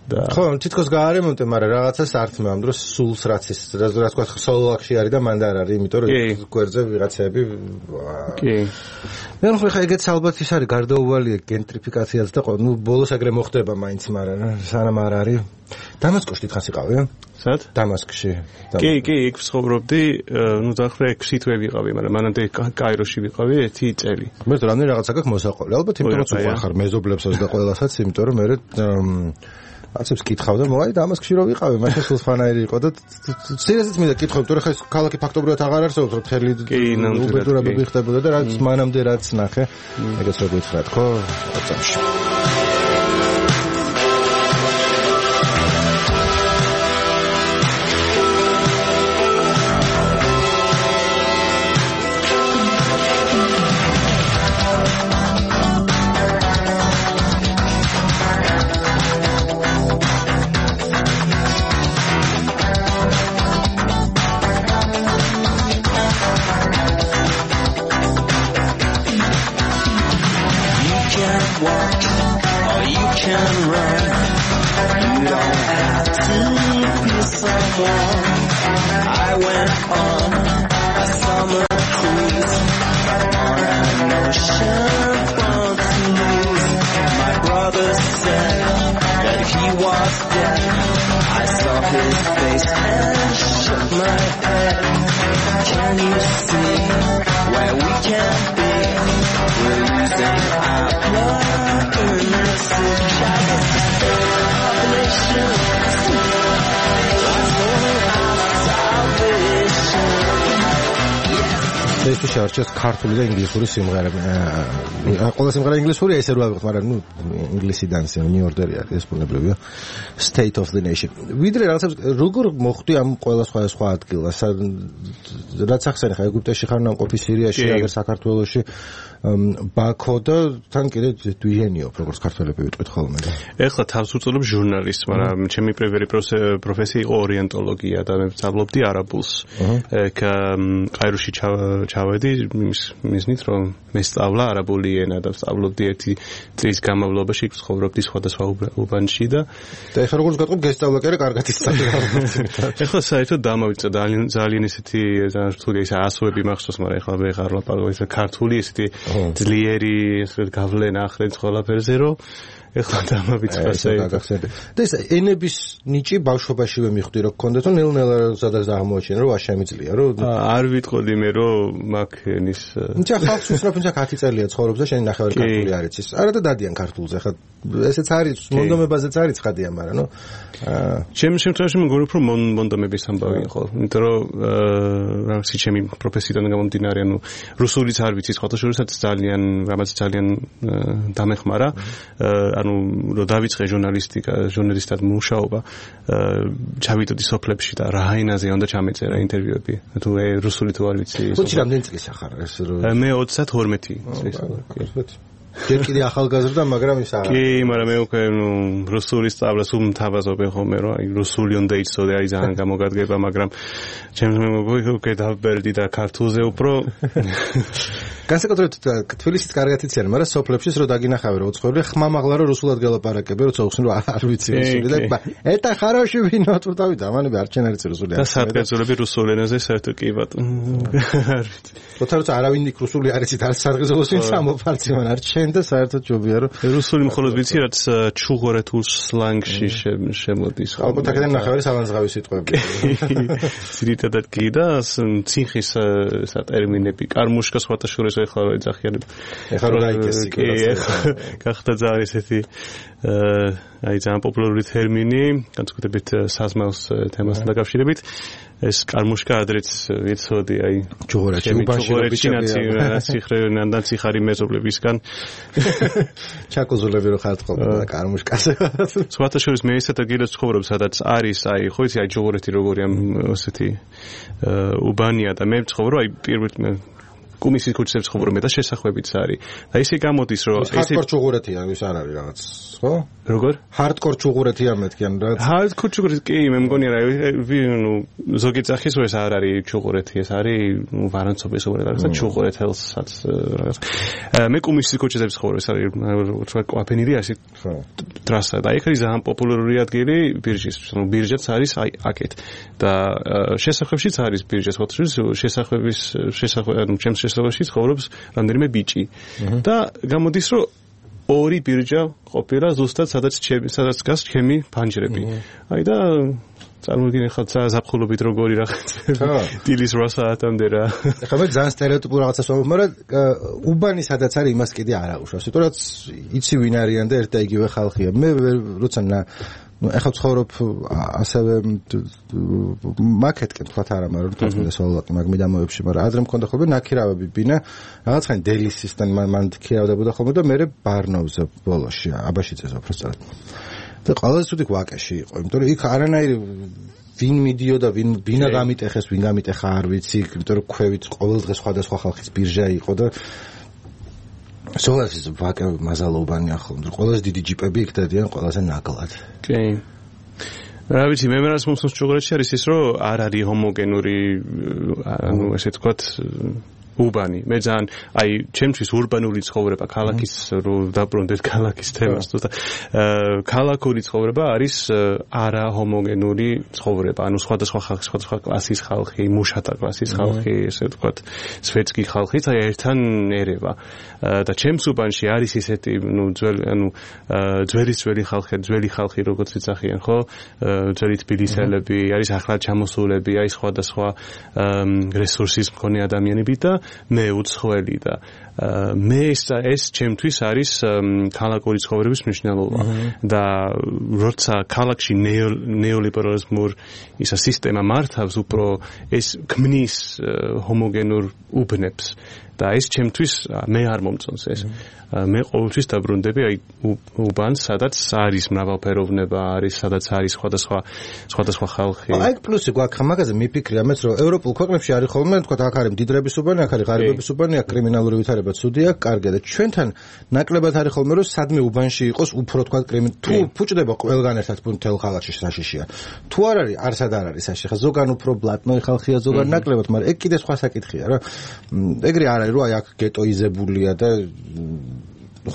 ხო, თითქოს გაარემონტე, მაგრამ რაღაცას ართმევ ამ დროს სულს რაც თქვა სოლოაქში არის და მანდ არ არის, იმიტომ რომ გვერდზე ვიღაცები კი. მე ხა ეგეც ალბათ ის არის გარდაუვალია გენტრიფიკაციაც და ნუ ბოლოს ეგრე მოხდება მაინც, მაგრამ სანამ არ არის. დამასკოში თხას იყავი? სად? დამასკში. კი, იქ ვცხოვრობდი, ნუ დაახლოებით 6 თვე ვიყავი, მაგრამ მანამდე კაიროში ვიყავი 1 წელი. მე რამდენი რაღაცა გაქვს მოსაყოლი. ალბათ იმიტომ რომ უყარხარ მეზობლებსაც და ყველასაც, იმიტომ რომ მე აცებს კითხავ და მოაი დამასკში რო ვიყავი, მაშინ სულ ფანაირი იყო და სერიოზულად მინდა კითხავ, თორე ხა ეს ქალაქი ფაქტობრივად აღარ არსებობს, რომ თელი უბედურებები ხდებოდა და რაც მანამდე რაც ნახე, ეგეც რო გითხრათ, ხო? ოცამში. შეარჩეს ქართული და ინგლისური სიმღერები. ყველა სიმღერა ინგლისურია, ესე რა ვიყოთ, მაგრამ ნუ ინგლისიდან New Order არის, ეს ბუნებრივია. State of the Nation. ვიდრე რაღაცებს როგორ მოხვდი ამ ყველა სხვა ადგილას, რაც ახსენე ხა ეგვიპტეში ხარ ნამყოფი, სირიაში, აგერ საქართველოში, ბაქო და თან კიდე დვიჟენიო, როგორც ქართველები ვიტყვით ხოლმე. ეხლა თავს უწოდებ ჟურნალისტს, მაგრამ ჩემი პირველი პროფესია იყო ორიენტოლოგია და მე ვსწავლობდი არაბულს. კაიროში ჩავედი მისნით რომ მე სწავლა არაბული ენა და ვსწავლობდი 1 წლის განმავლობაში ცხოვრობდი სხვადასხვა უბანში და ეხლა როგორც გეტყვი გესწავლა კი არა კარგად ისწავლა. ეხლა საერთოდ დამავიწყდა ძალიან ისეთი ძალიან რთული ის ასოები მახსოვს, მაგრამ ეხლა მე ხარ ლაპარაკობ ისე ქართული ისეთი ძლიერი გავლენა ახრენს ყველაფერზე რომ ეხლა დამავიწყდა საერთოდ. და ეს ენების ნიჭი ბავშვობაშივე მიხვდი რომ გქონდეთ, რომ ნელ-ნელა სადაც აღმოაჩინე რომ შემიძლია რომ არ ვიტყოდი მე რომ მაგ ენის ნიჭა ხალხს უსწრაფ ნიჭა 10 წელია ცხოვრობს და შენი ნახევარი ქართული არ იცის. არა და დადიან ქართულზე. ხა ესეც არის მონდომებაზეც არის ცხადია, მაგრამ ნუ ჩემი შემთხვევაში მგონი რომ მონდომების ამბავი ხო, იმიტომ რომ რაღაცი ჩემი პროფესიიდან გამომდინარე, ანუ რუსულიც არ ვიცი, სხვათა შორისაც ძალიან რამაც ძალიან დამეხმარა. ანუ რომ დავიწყე ჟურნალისტად მუშაობა, ჩავიდოდი სოფლებში და რა ენაზე უნდა ჩამეწერა ინტერვიუები. თუ რუსული თუ არ ვიცი. ხუთი რამდენი წლის ახარ ეს მე 32 წლის. ჯერ კიდე ახალგაზრდა, მაგრამ ის არა. კი, მაგრამ მე უკვე რუსული სწავლას უმთავაზობ ხოლმე, რომ აი რუსული უნდა იცოდე, აი ძალიან გამოგადგება, მაგრამ ჩემს მეგობრებს უკვე დავბერდი და ქართულზე უფრო განსაკუთრებით თბილისით კარგად იციან, მაგრამ სოფლებში რო დაგინახავე რო უცხოური ხმამაღლა რო რუსულად გელაპარაკები, როცა უხსნი რომ არ ვიცი რუსული და ეტა ხაროში ვინო თუ დავით ამანები არ ჩენ არის რუსული. და სარგეზულები რუსულ ენაზე საერთოდ კი ბატონო. არ ვიცი. როცა არავინ იქ რუსული არ იცით, არის სარგეზულოს ვინც ამოფარცი მან არ ჩენ და საერთოდ ჯობია რომ რუსული მხოლოდ ვიცი რაც ჩუღორეთულ სლანგში შემოდის. ალბათ აქედან ნახევარი სალანძღავი სიტყვები. ძირითადად კი და ციხის სატერმინები კარმუშკა სხვათაშორის ეხლა რო ეძახიან. ეხლა რო გაიქესი კი გახდა ძალიან ესეთი აი ძალიან პოპულარული ტერმინი, განსაკუთრებით საზმავს თემასთან დაკავშირებით. ეს კარმუშკა ადრეც ვიცოდი აი ჩუღორეთში ციხრენან და ციხარი მეზობლებისგან ჩაკოზულები რო ხართ ხოლმე კარმუშკაზე. სხვათაშორის მე ისეთ ადგილას ცხოვრობ, სადაც არის აი ხო იცი აი ჩუღორეთი როგორი ამ ესეთი უბანია და მე ცხოვრობ აი პირველ კუმისის ქუჩაზე ცხოვრობ მე და შესახვევიც არის. და ისე გამოდის რომ ეს ჰარდკორ ჩუღურეთია, ის არ არის რაღაც, ხო? როგორ? ჰარდკორ ჩუღურეთია მეთქიან რაღაც. ჰარდკორ ჩუღურეთი კი მე მგონია რა ნუ ზოგი წახის ეს არ არის ჩუღურეთი, ეს არის ნუ ვარანცობის უბრალოდ ჩუღურეთელსაც რაღაც. მე კუმისის ქუჩაზე ცხოვრობ, ეს არის რა კვაფენილი ასე ტრასა და იქ არის ძალიან პოპულარული ადგილი ბირჟის, ნუ ბირჟაც არის აი აქეთ. და შესახვევშიც არის ბირჟის, ხო შესახვევი ანუ ჩემს შესახვევში ცხოვრობს რამდენიმე ბიჭი. და გამოდის რომ ორი ბირჟა ყოფილა ზუსტად სადაც დგას ჩემი ფანჯრები. აი და წარმოგიდგენ ხალხ ზაფხულობით როგორი რაღაც დილის 8 საათამდე რა. ეხლა მე ძალიან სტერეოტიპულ რაღაცას ვამბობ, მაგრამ უბანი სადაც არის იმას კიდე არ აუშავს. იმიტომ რომ იცი ვინ არიან და ერთ და იგივე ხალხია. მე როცა ну ეხლა ცხოვრობ ასევე მაკეტკენ თქვათ არა მაგრამ თვითონ სოლაკი მაგ მიდამოებში მაგრამ ადრე მქონდა ხოლმე ნაქირავები ბინა რაღაცხანი დელისისთან მან ქირავდებოდა ხოლმე და მე ბარნოვზე ბოლოში აბაშიძეზე უბრალოდ და ყველაზე ცუდი ვაკეში იყო იმიტომ რომ იქ არანაირი ვინ მიდიოდა ვინ ბინა გამიტეხეს ვინ გამიტეხა არ ვიცი იმიტომ რომ ქვევით ყოველდღე სხვადასხვა ხალხის ბირჟა იყო და სოლასის ვაკე მაზალობანი ახლა ყველაზე დიდი ჯიპები იქ დადიან ყველაზე ნაკლად. კი. რა ვიცი მე რას მომსწრებს ჩუღურეთში არის ის რომ არ არის ჰომოგენური ანუ ესე ვთქვათ უბანი. მე ძალიან აი ჩემთვის ურბანული ცხოვრება ქალაქის რო დაბრუნდეთ ქალაქის თემას და ქალაქური ცხოვრება არის არა ჰომოგენური ცხოვრება. ანუ სხვადასხვა ხალხი, სხვადასხვა კლასის ხალხი, მუშათა კლასის ხალხი, ესე ვთქვათ, სვეტსკი ხალხი და ერთთან ერევა. და ჩემს უბანში არის ისეთი ნუ ძველი ხალხი როგორც იცახიან, ხო? ძველი თბილისელები, არის ახლად ჩამოსულები, არის სხვადასხვა რესურსის მქონე ადამიანები და მე უცხოელი და მე ეს ჩემთვის არის ქალაქური ცხოვრების მნიშვნელობა და როცა ქალაქში ნეოლიბერალიზმურ ისა სისტემა მართავს უფრო ეს ქმნის ჰომოგენურ უბნებს და ეს ჩემთვის მე არ მომწონს ეს მე ყოველთვის დაბრუნდები აი უბანს სადაც არის მრავალფეროვნება არის სადაც არის სხვადასხვა ხალხი აი პლუსი გვაქვს მაგაზე მიფიქრია მეც რომ ევროპულ ქვეყნებში არის ხოლმე თქვა აქ არის მდიდრების უბანი აქ არის ღარიბების უბანი აქ კრიმინალური ვითარება ცუდია კარგია და ჩვენთან ნაკლებად არის ხოლმე რომ სადმე უბანში იყოს უფრო თქვა თუ ფუჭდება ყველგან ერთად მთელ ქალაქში საშიშია თუ არ არის არსად არ არის საშიშია ზოგან უფრო ბლატნოი ხალხია ზოგან ნაკლებად მაგრამ ეგ კიდე სხვა საკითხია რა ეგრე არ არის რომ აი აქ გეტოიზებულია და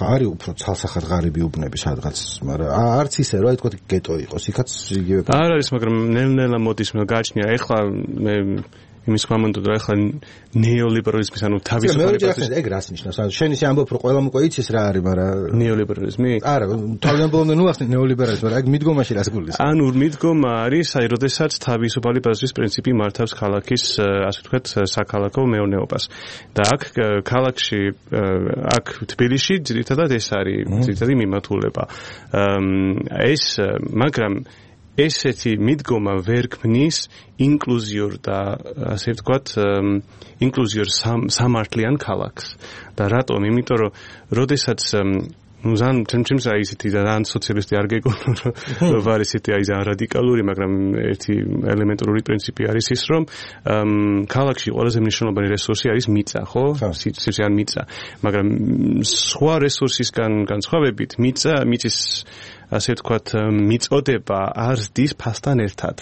არის უფრო ცალსახად ღარიბი უბნები სადღაც, მაგრამ არც ისე რომ აი თქვა გეტო იყოს, იქაც იგივე. არ არის, მაგრამ ნელ-ნელა მოდის მე გაჩნია. ეხლა მე იმის ხმამონდოდ რა ეხლა ნეოლიბერალიზმის ანუ თავისუფალი პარტიის ეგ რას ნიშნავს? ანუ შენ ისე ამბობ რომ ყველამ უკვე იცის რა არის, მაგრამ ნეოლიბერალიზმი? არა, თავიანთი ნუ ახსნე ნეოლიბერალიზმი, მაგრამ ეგ მიდგომაში რას გულისხმობს? ანუ მიდგომა არის, აი, როდესაც თავისუფალი პარტიის პრინციპი მართავს ქალაქის, ასე ვთქვათ, საქალაქო მეურნეობას. და აქ ქალაქში, აქ თბილისში ძირითადად ეს არის, ძირითადი მიმართულება. მაგრამ ესეთი მიდგომა ვერ ქმნის ინკლუზიურ და ასე ვთქვათ ინკლუზიურ სამართლიან ქალაქს და რატომ? იმიტომ რომ როდესაც ну зан ჩემს აი ისეთი ძალიან სოციალისტი არ გეკონო რომ ვარ ისეთი აი ძალიან რადიკალური მაგრამ ერთი ელემენტარული პრინციპი არის ის რომ ქალაქში ყველაზე მნიშვნელოვანი რესურსი არის მიწა ხო სიცივე ან მიწა მაგრამ სხვა რესურსისგან განსხვავებით მიწის ასე ვთქვათ, მიწოდება არ ზდის ფასთან ერთად.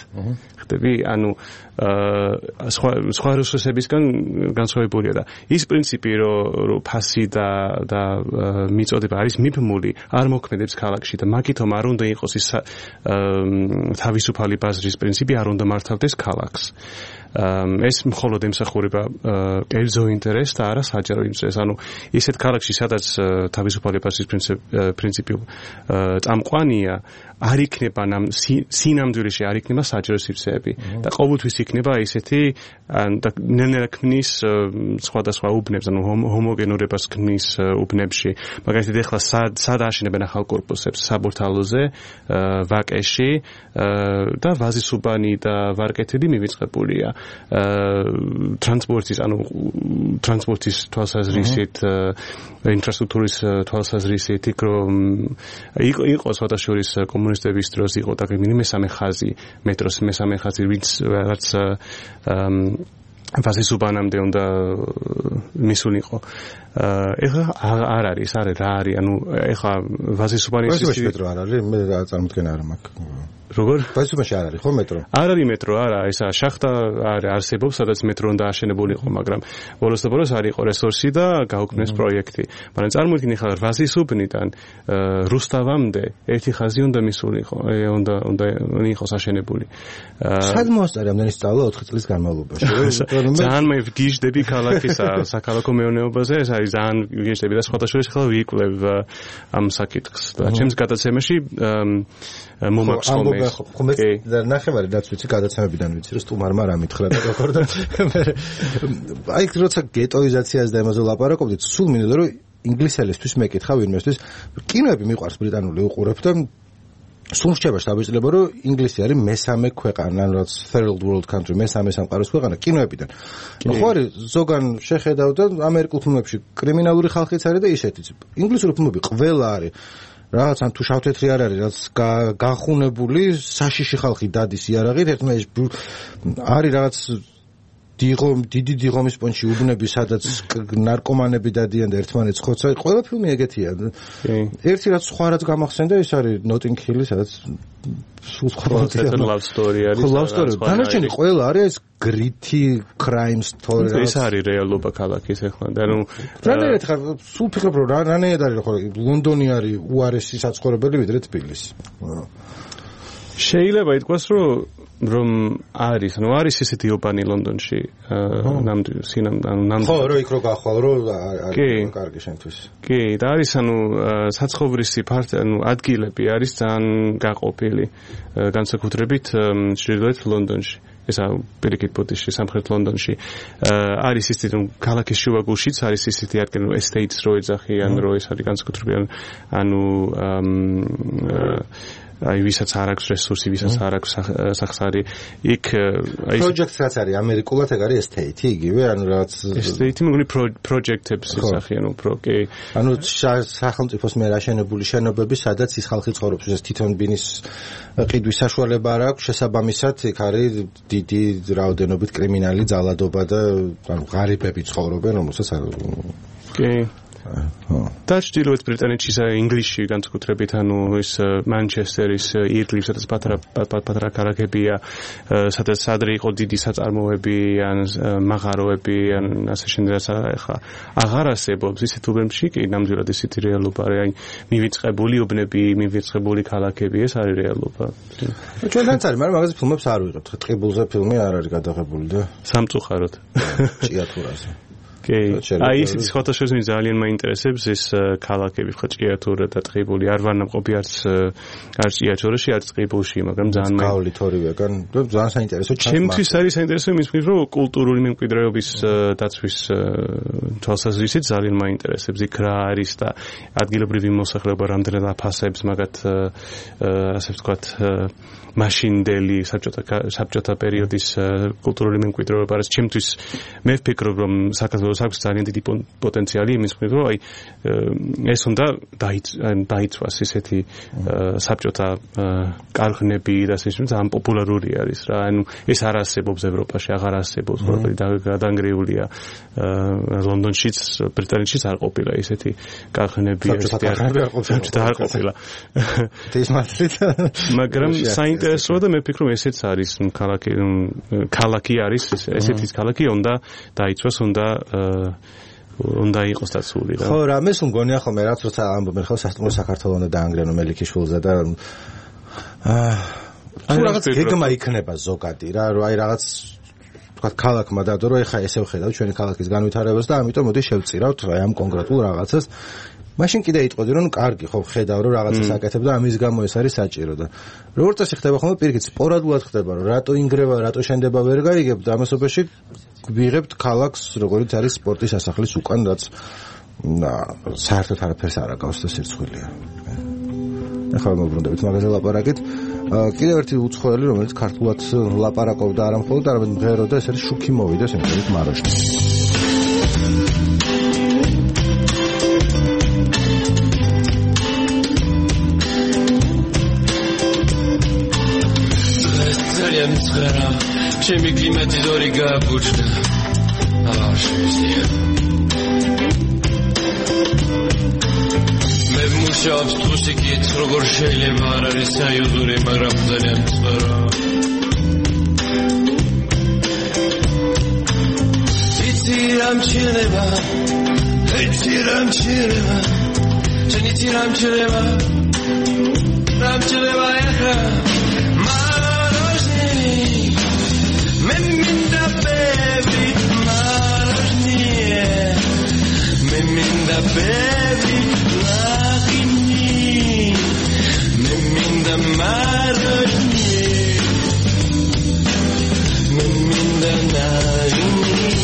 ხდები? ანუ სხვა რესურსებისგან განსხვავებულია და ის პრინციპი, რომ ფასი და მიწოდება არის მიბმული, არ მოქმედებს ქალაქში და მაგითომ არ უნდა იყოს ის თავისუფალი ბაზრის პრინციპი, არ უნდა მართავდეს ქალაქს. ეს მხოლოდ ემსახურება კერძო ინტერესს და არა საჯარო ინტერესს. ანუ ისეთ ქალაქში, სადაც თავისუფალი ბაზრის პრინციპი წამყვანია, არ იქნება სინამდვილეში არ იქნება საჯარო სივრცეები და ყოველთვის იქნება ისეთი და ნელ-ნელა ქმნის სხვადასხვა უბნებს, ანუ ჰომოგენურებას ქმნის უბნებში. მაგალითად, ეხლა სად აშენებენ ახალ კორპუსებს? საბურთალოზე, ვაკეში და ვაზისუბანი და ვარკეთილი მივიწყებულია. ტრანსპორტის თვალსაზრისით, ინფრასტრუქტურის თვალსაზრისით, იყო სხვადასხვა კომუნისტების დროს იყო დაგეგმილი მესამე ხაზი, მეტროს მესამე ხაზი, რაც ვაზისუბანამდე უნდა მისულიყო. ეხლა არ არის, რა არის, ანუ ეხლა ვაზისუბანის მეტრო არ არის, მე წარმოდგენა არ მაქვს. როგორ? ვაზისუბანში არ არის ხო მეტრო? არ არის მეტრო, არა, ესა შახტა არსებობს, სადაც მეტრო უნდა აშენებულიყო, მაგრამ ბოლოს არ იყო რესურსი და გაუქმეს პროექტი. მაგრამ წარმოიდგინე ხარ ვაზისუბნიდან რუსთავამდე ერთი ხაზი უნდა მისულიყო, უნდა იყოს აშენებული. სად მოასწარი ამდენი სწავლა 4 წლის განმავლობაში? ძალიან მე ვგიჟდები ქალაქისა, საქალაქო მეურნეობაზე, ეს არის ძალიან ვგიჟდები და სხვადასხვა ხალხი ვიკლებ ამ საკითხს. და ჩემს გადაცემაში მომაქვს ხოლმე. და ნახევარი რაც ვიცი გადაცემებიდან ვიცი, რომ სტუმარმა რა მითხრა და როგორ და აი როცა გეტოიზაციაზე და ამაზე ლაპარაკობდით, სულ მინდოდა რომ ინგლისელისთვის მეკითხა ვინმესთვის, კინოები მიყვარს ბრიტანული უყურებ და სულ რჩება შთაბეჭდილება, რომ ინგლისი არის მესამე ქვეყანა, რაც third world country, მესამე სამყაროს ქვეყანა კინოებიდან. ხო არის ზოგან შეხედავ და ამერიკულ ფილმებში კრიმინალური ხალხიც არის და ისეთიც. ინგლისური ფილმები ყველა არის. რაც ან თუ შავთეთრი არ არის, რაც გახუნებული საშიში ხალხი დადის იარაღით, ერთმანეთს არის რაღაც დიდი დიღომის პონჩი უბნები, სადაც ნარკომანები დადიან და ერთმანეთს ხოცა. ყველა ფილმი ეგეთია. ერთი რაც სხვა რაც გამახსენდა, ის არის Notting Hill, სადაც სულ სხვა love story არის. love story. დანარჩენი ყველა არის ეს gritty crime story. ეს არის რეალობა ქალაქის ეხლა. და ნუ რანაირად ხარ სულ ფიქრობ რომ რანაირად არის ხო ლონდონი არის უარესი საცხოვრებელი ვიდრე თბილისი. შეიძლება ითქვას რომ არის, ანუ არის ესეთი ოპანი ლონდონში, ნამდვილად. ხო, რომ იქ რო გახვალ, რომ არის კარგი შენთვის. კი, და არის ანუ საცხოვრისი ანუ ადგილები არის ძალიან გაყოფილი, განსაკუთრებით ჩრდილოეთ ლონდონში. ესა პირიქით ბუდიში, სამხრეთ ლონდონში. არის ისეთი რომ ქალაქის შუაგულშიც არის ისეთი ადგილი, რომ estates რო ეძახიან, რომ ეს არის განსაკუთრებით ანუ აი ვისაც არ აქვს რესურსი, ვისაც არ აქვს სახსარი, იქ აი პროექტს რაც არის ამერიკულად ეგ არის estate იგივე, ანუ რაც estate მეგონი პროექტებს ისახიან უფრო, კი. ანუ სახელმწიფოს მიერ აშენებული შენობები, სადაც ის ხალხი ცხოვრობს, ეს თვითონ ბინის ყიდვის საშუალება არ აქვს, შესაბამისად იქ არის დიდი რაოდენობით კრიმინალი ძალადობა და ანუ ღარიბები ცხოვრობენ, რომელსაც კი. და ჩრდილოეთ ბრიტანეთში ინგლისში განსაკუთრებით ანუ ის მანჩესტერის ირგლივ სადაც პატარა ქალაქებია სადაც ადრე იყო დიდი საწარმოები ან მაღაროები ან ასე შემდეგ ახლა აღარ არსებობს ისეთ უბნებში კი ნამდვილად ისეთი რეალობა არის აი მივიწყებული უბნები მივიწყებული ქალაქები ეს არის რეალობა ჩვენთანაც არის მაგრამ მაგაზე ფილმებს არ ვიღებთ ტყიბულზე ფილმი არ არის გადაღებული და სამწუხაროდ ჭიათურაზე კი, აი ისეთი სხვადასხვა ძალიან მაინტერესებს ეს ქალაქები, ხო ჭიათურა და ტყიბული. არ ვარ ნამყოფი არც ჭიათურაში, არც ტყიბულში, მაგრამ ძალიან გავლით ორივეგან, ძალიან საინტერესო ჩანს. ჩემთვის არის საინტერესო იმის მხრივ, რომ კულტურული მემკვიდრეობის დაცვის თვალსაზრისით ძალიან მაინტერესებს იქ რა არის და ადგილობრივი მოსახლეობა რამდენად აფასებს მაგათ ასე ვთქვათ მაშინდელი საბჭოთა პერიოდის კულტურული მემკვიდრეობა არის ჩემთვის მე ვფიქრობ რომ საქართველოს საქართველოს აქვს ძალიან დიდი პოტენციალი იმის მხრივ, რომ აი ეს უნდა დაიცვას ისეთი საბჭოთა კარღნები და ისე ძალიან პოპულარული არის რა. ანუ ეს არ არსებობს ევროპაში, აღარ არსებობს, გადანგრეულია. ლონდონშიც, ბრიტანეთშიც არ ყოფილა ისეთი კარღნები, საბჭოთა არ ყოფილა. მაგრამ საინტერესოა და მე ვფიქრობ ესეც არის ქალაქი არის ესეთი ქალაქი უნდა დაიცვას უნდა იყოს დაცული რა. ხო რა მეს მგონია ხოლმე რაც როცა ამბობენ ხო სასტუმრო საქართველოს უნდა დაანგრენო მელიქიშვილზე და თუ რაღაც გეგმა იქნება ზოგადი რა რომ აი რაღაც თქვა ქალაქმა დადო რომ ეხა ესე ვხედავთ ჩვენი ქალაქის განვითარებას და ამიტომ მოდი შევწირავთ აი ამ კონკრეტულ რაღაცას მაშინ კიდე იტყოდი რომ კარგი ხო ხედავ რომ რაღაცას აკეთებ და ამის გამო ეს არის საჭირო და როგორც წესი ხდება ხოლმე პირიქით სპორადულად ხდება რომ რატო ინგრევა რატო შენდება ვერ გაიგებ და ამასობაში ვიღებთ ქალაქს როგორც არის სპორტის სასახლის უკან რაც საერთოდ არაფერს არ აკავს და სირცხვილია ახლა მოbrunდებით მაგაზე ლაპარაკით კიდევ ერთი უცხოელი რომელიც ქართულად ლაპარაკობდა არა მხოლოდ არამედ მღეროდა ეს არის შუქი მოვიდა სიმღერით მაროჟნი ჩემი კლიმატი ზორი გაბუჩდა არ შეიძლება მე მუშაობს თუსიკით როგორ შეიძლება არ არის საიუზური მაგრამ ძალიან მწვერა იცი რამ შეიძლება ჩენიცი რამ შეიძლება ეხლა Meminda baby marnie Meminda baby lagini Meminda marnie Meminda nagini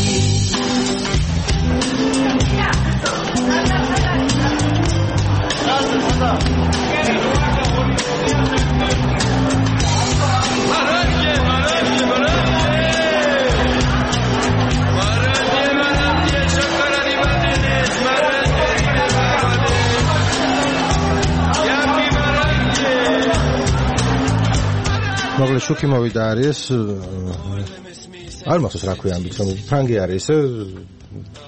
მოგლე შუქი მოვიდა არის არ მახსოვს რა ქვია ამით რომ ფრანგი არის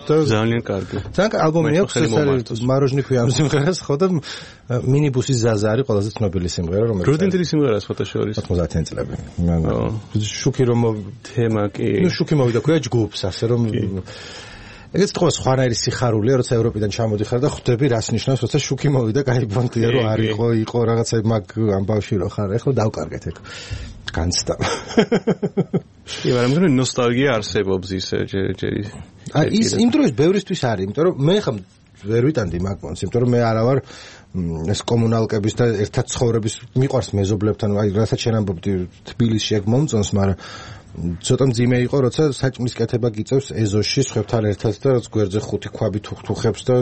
და ძალიან კარგი ძალიან ალბომი აქვს ეს მაროჟნი ქვია ამ სიმღერას ხო და მინიბუსის ზაზა არის ყველაზე ცნობილი სიმღერა რომელიც რუდინტილი სიმღერაა სხვათა შორის 90-იან წლები შუქი რომ თემა კი ნუ შუქი მოვიდა ქვია ჯგუფს ასე რომ ეგეც თქო სხვანაირი სიხარულია როცა ევროპიდან ჩამოდიხარ და ხვდები რას ნიშნავს როცა შუქი მოვიდა გაიბონდია რომ არ იყო რაღაცა მაგ ამბავში რო ხარ ეხლა დავკარგეთ ეგ განცდა კი მაგრამ ნოსტალგია არსებობს ისე ჯერი ის იმ დროს ბევრისთვის არის იმიტომ რომ მე ხომ ვერ ვიტანდი მაგ პონს იმიტომ რომ მე არა ვარ ეს კომუნალკების და ერთად ცხოვრების მიყვარს მეზობლებთან აი რასაც შენ ამბობდი თბილისში ეგ მომწონს მაგრამ ცოტა მძიმე იყო როცა საჭმლის კეთება გიწევს ეზოში სხვებთან ერთად და რაც გვერდზე ხუთი ქვაბი თუხებს და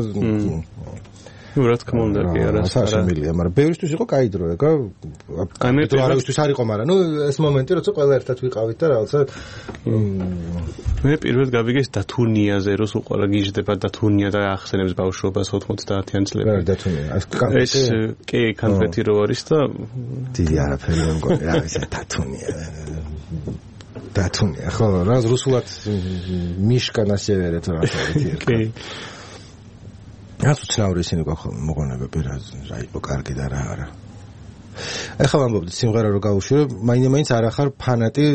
ნუ რა თქმა უნდა კი არა სასამილია მაგრამ ბევრისთვის იყო კაი დრო ეგა ამიტომ არავისთვის არ იყო მაგრამ ნუ ეს მომენტი როცა ყველა ერთად ვიყავით და რაღაცა მე პირველად გავიგეს დათუნიაზე რო უყარა გიждდება დათუნია და ახსენებს ბავშვობას 90-იან წლებში დათუნია ეს კი კონკრეტი რო არის და დიდი არაფერი არ მგონი რა ის დათუნია დათუნია ხო რა რუსულად მიშკა ნასევერეთ რა კი რაც უცნაური ისინი გვაქვს მოგონებები რა იყო კარგი და რა არა ეხლა ვამბობდი სიმღერა რო გავუშვირო მაინც არ ახარ ფანატი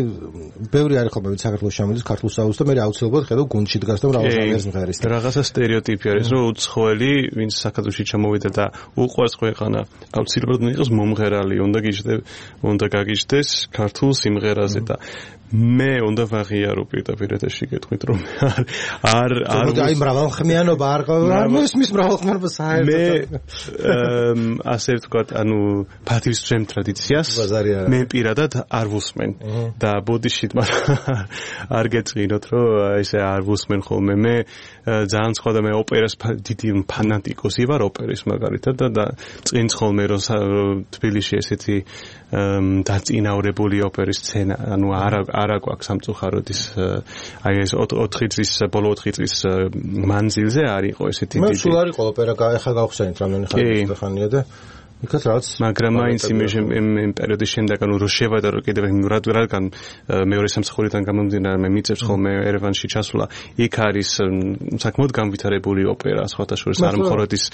ბევრი არის ხოლმე საქართველოს ჩამოდის ქართულ საუბრს და მე აუცილებლად ხედავ გუნდში დგას და მრავალ სიმღერის რაღაცა სტერეოტიპი არის რომ უცხოელი ვინც საქართველოში ჩამოვიდა და უყვარს ქვეყანა აუცილებლად იყოს მომღერალი უნდა გაგიჟდეს ქართულ სიმღერაზე და მე უნდა ვაღიარო პირდაპირ ეთერში გეტყვით რომ არ აი მრავალხმიანობა არ მოსმის მრავალხმიანობა საერთოდ მე ასე ვთქვათ ანუ ფათი თვის ძველ ტრადიციას მე პირადად არ ვუსმენ და ბოდიშით არ გეწინოთ რომ ესე არ ვუსმენ ხოლმე მე ძალიან სხვა და მე ოპერას დიდი ფანატიკოსი ვარ ოპერის მაგალითად და წინც ხოლმე რომ თბილისში ესეთი დაწინაურებული ოპერის სცენა ანუ არა გვაქვს სამწუხაროდ ის აი ეს 4 წლის ბოლო 4 წლის მანძილზე არ იყო ესეთი მე სულ არ იყო ოპერა ახლა გავხსენით რამდენი ხანია და იქაც რაც მაგრამ მაინც იმ პერიოდის შემდეგ ანუ რო შევადარო კიდევ რადგან მეორე სამსახურიდან გამომდინარე მე მიწევს ხოლმე ერევანში ჩასვლა იქ არის საკმაოდ განვითარებული ოპერა სხვათა შორის არ მხოლოდ ის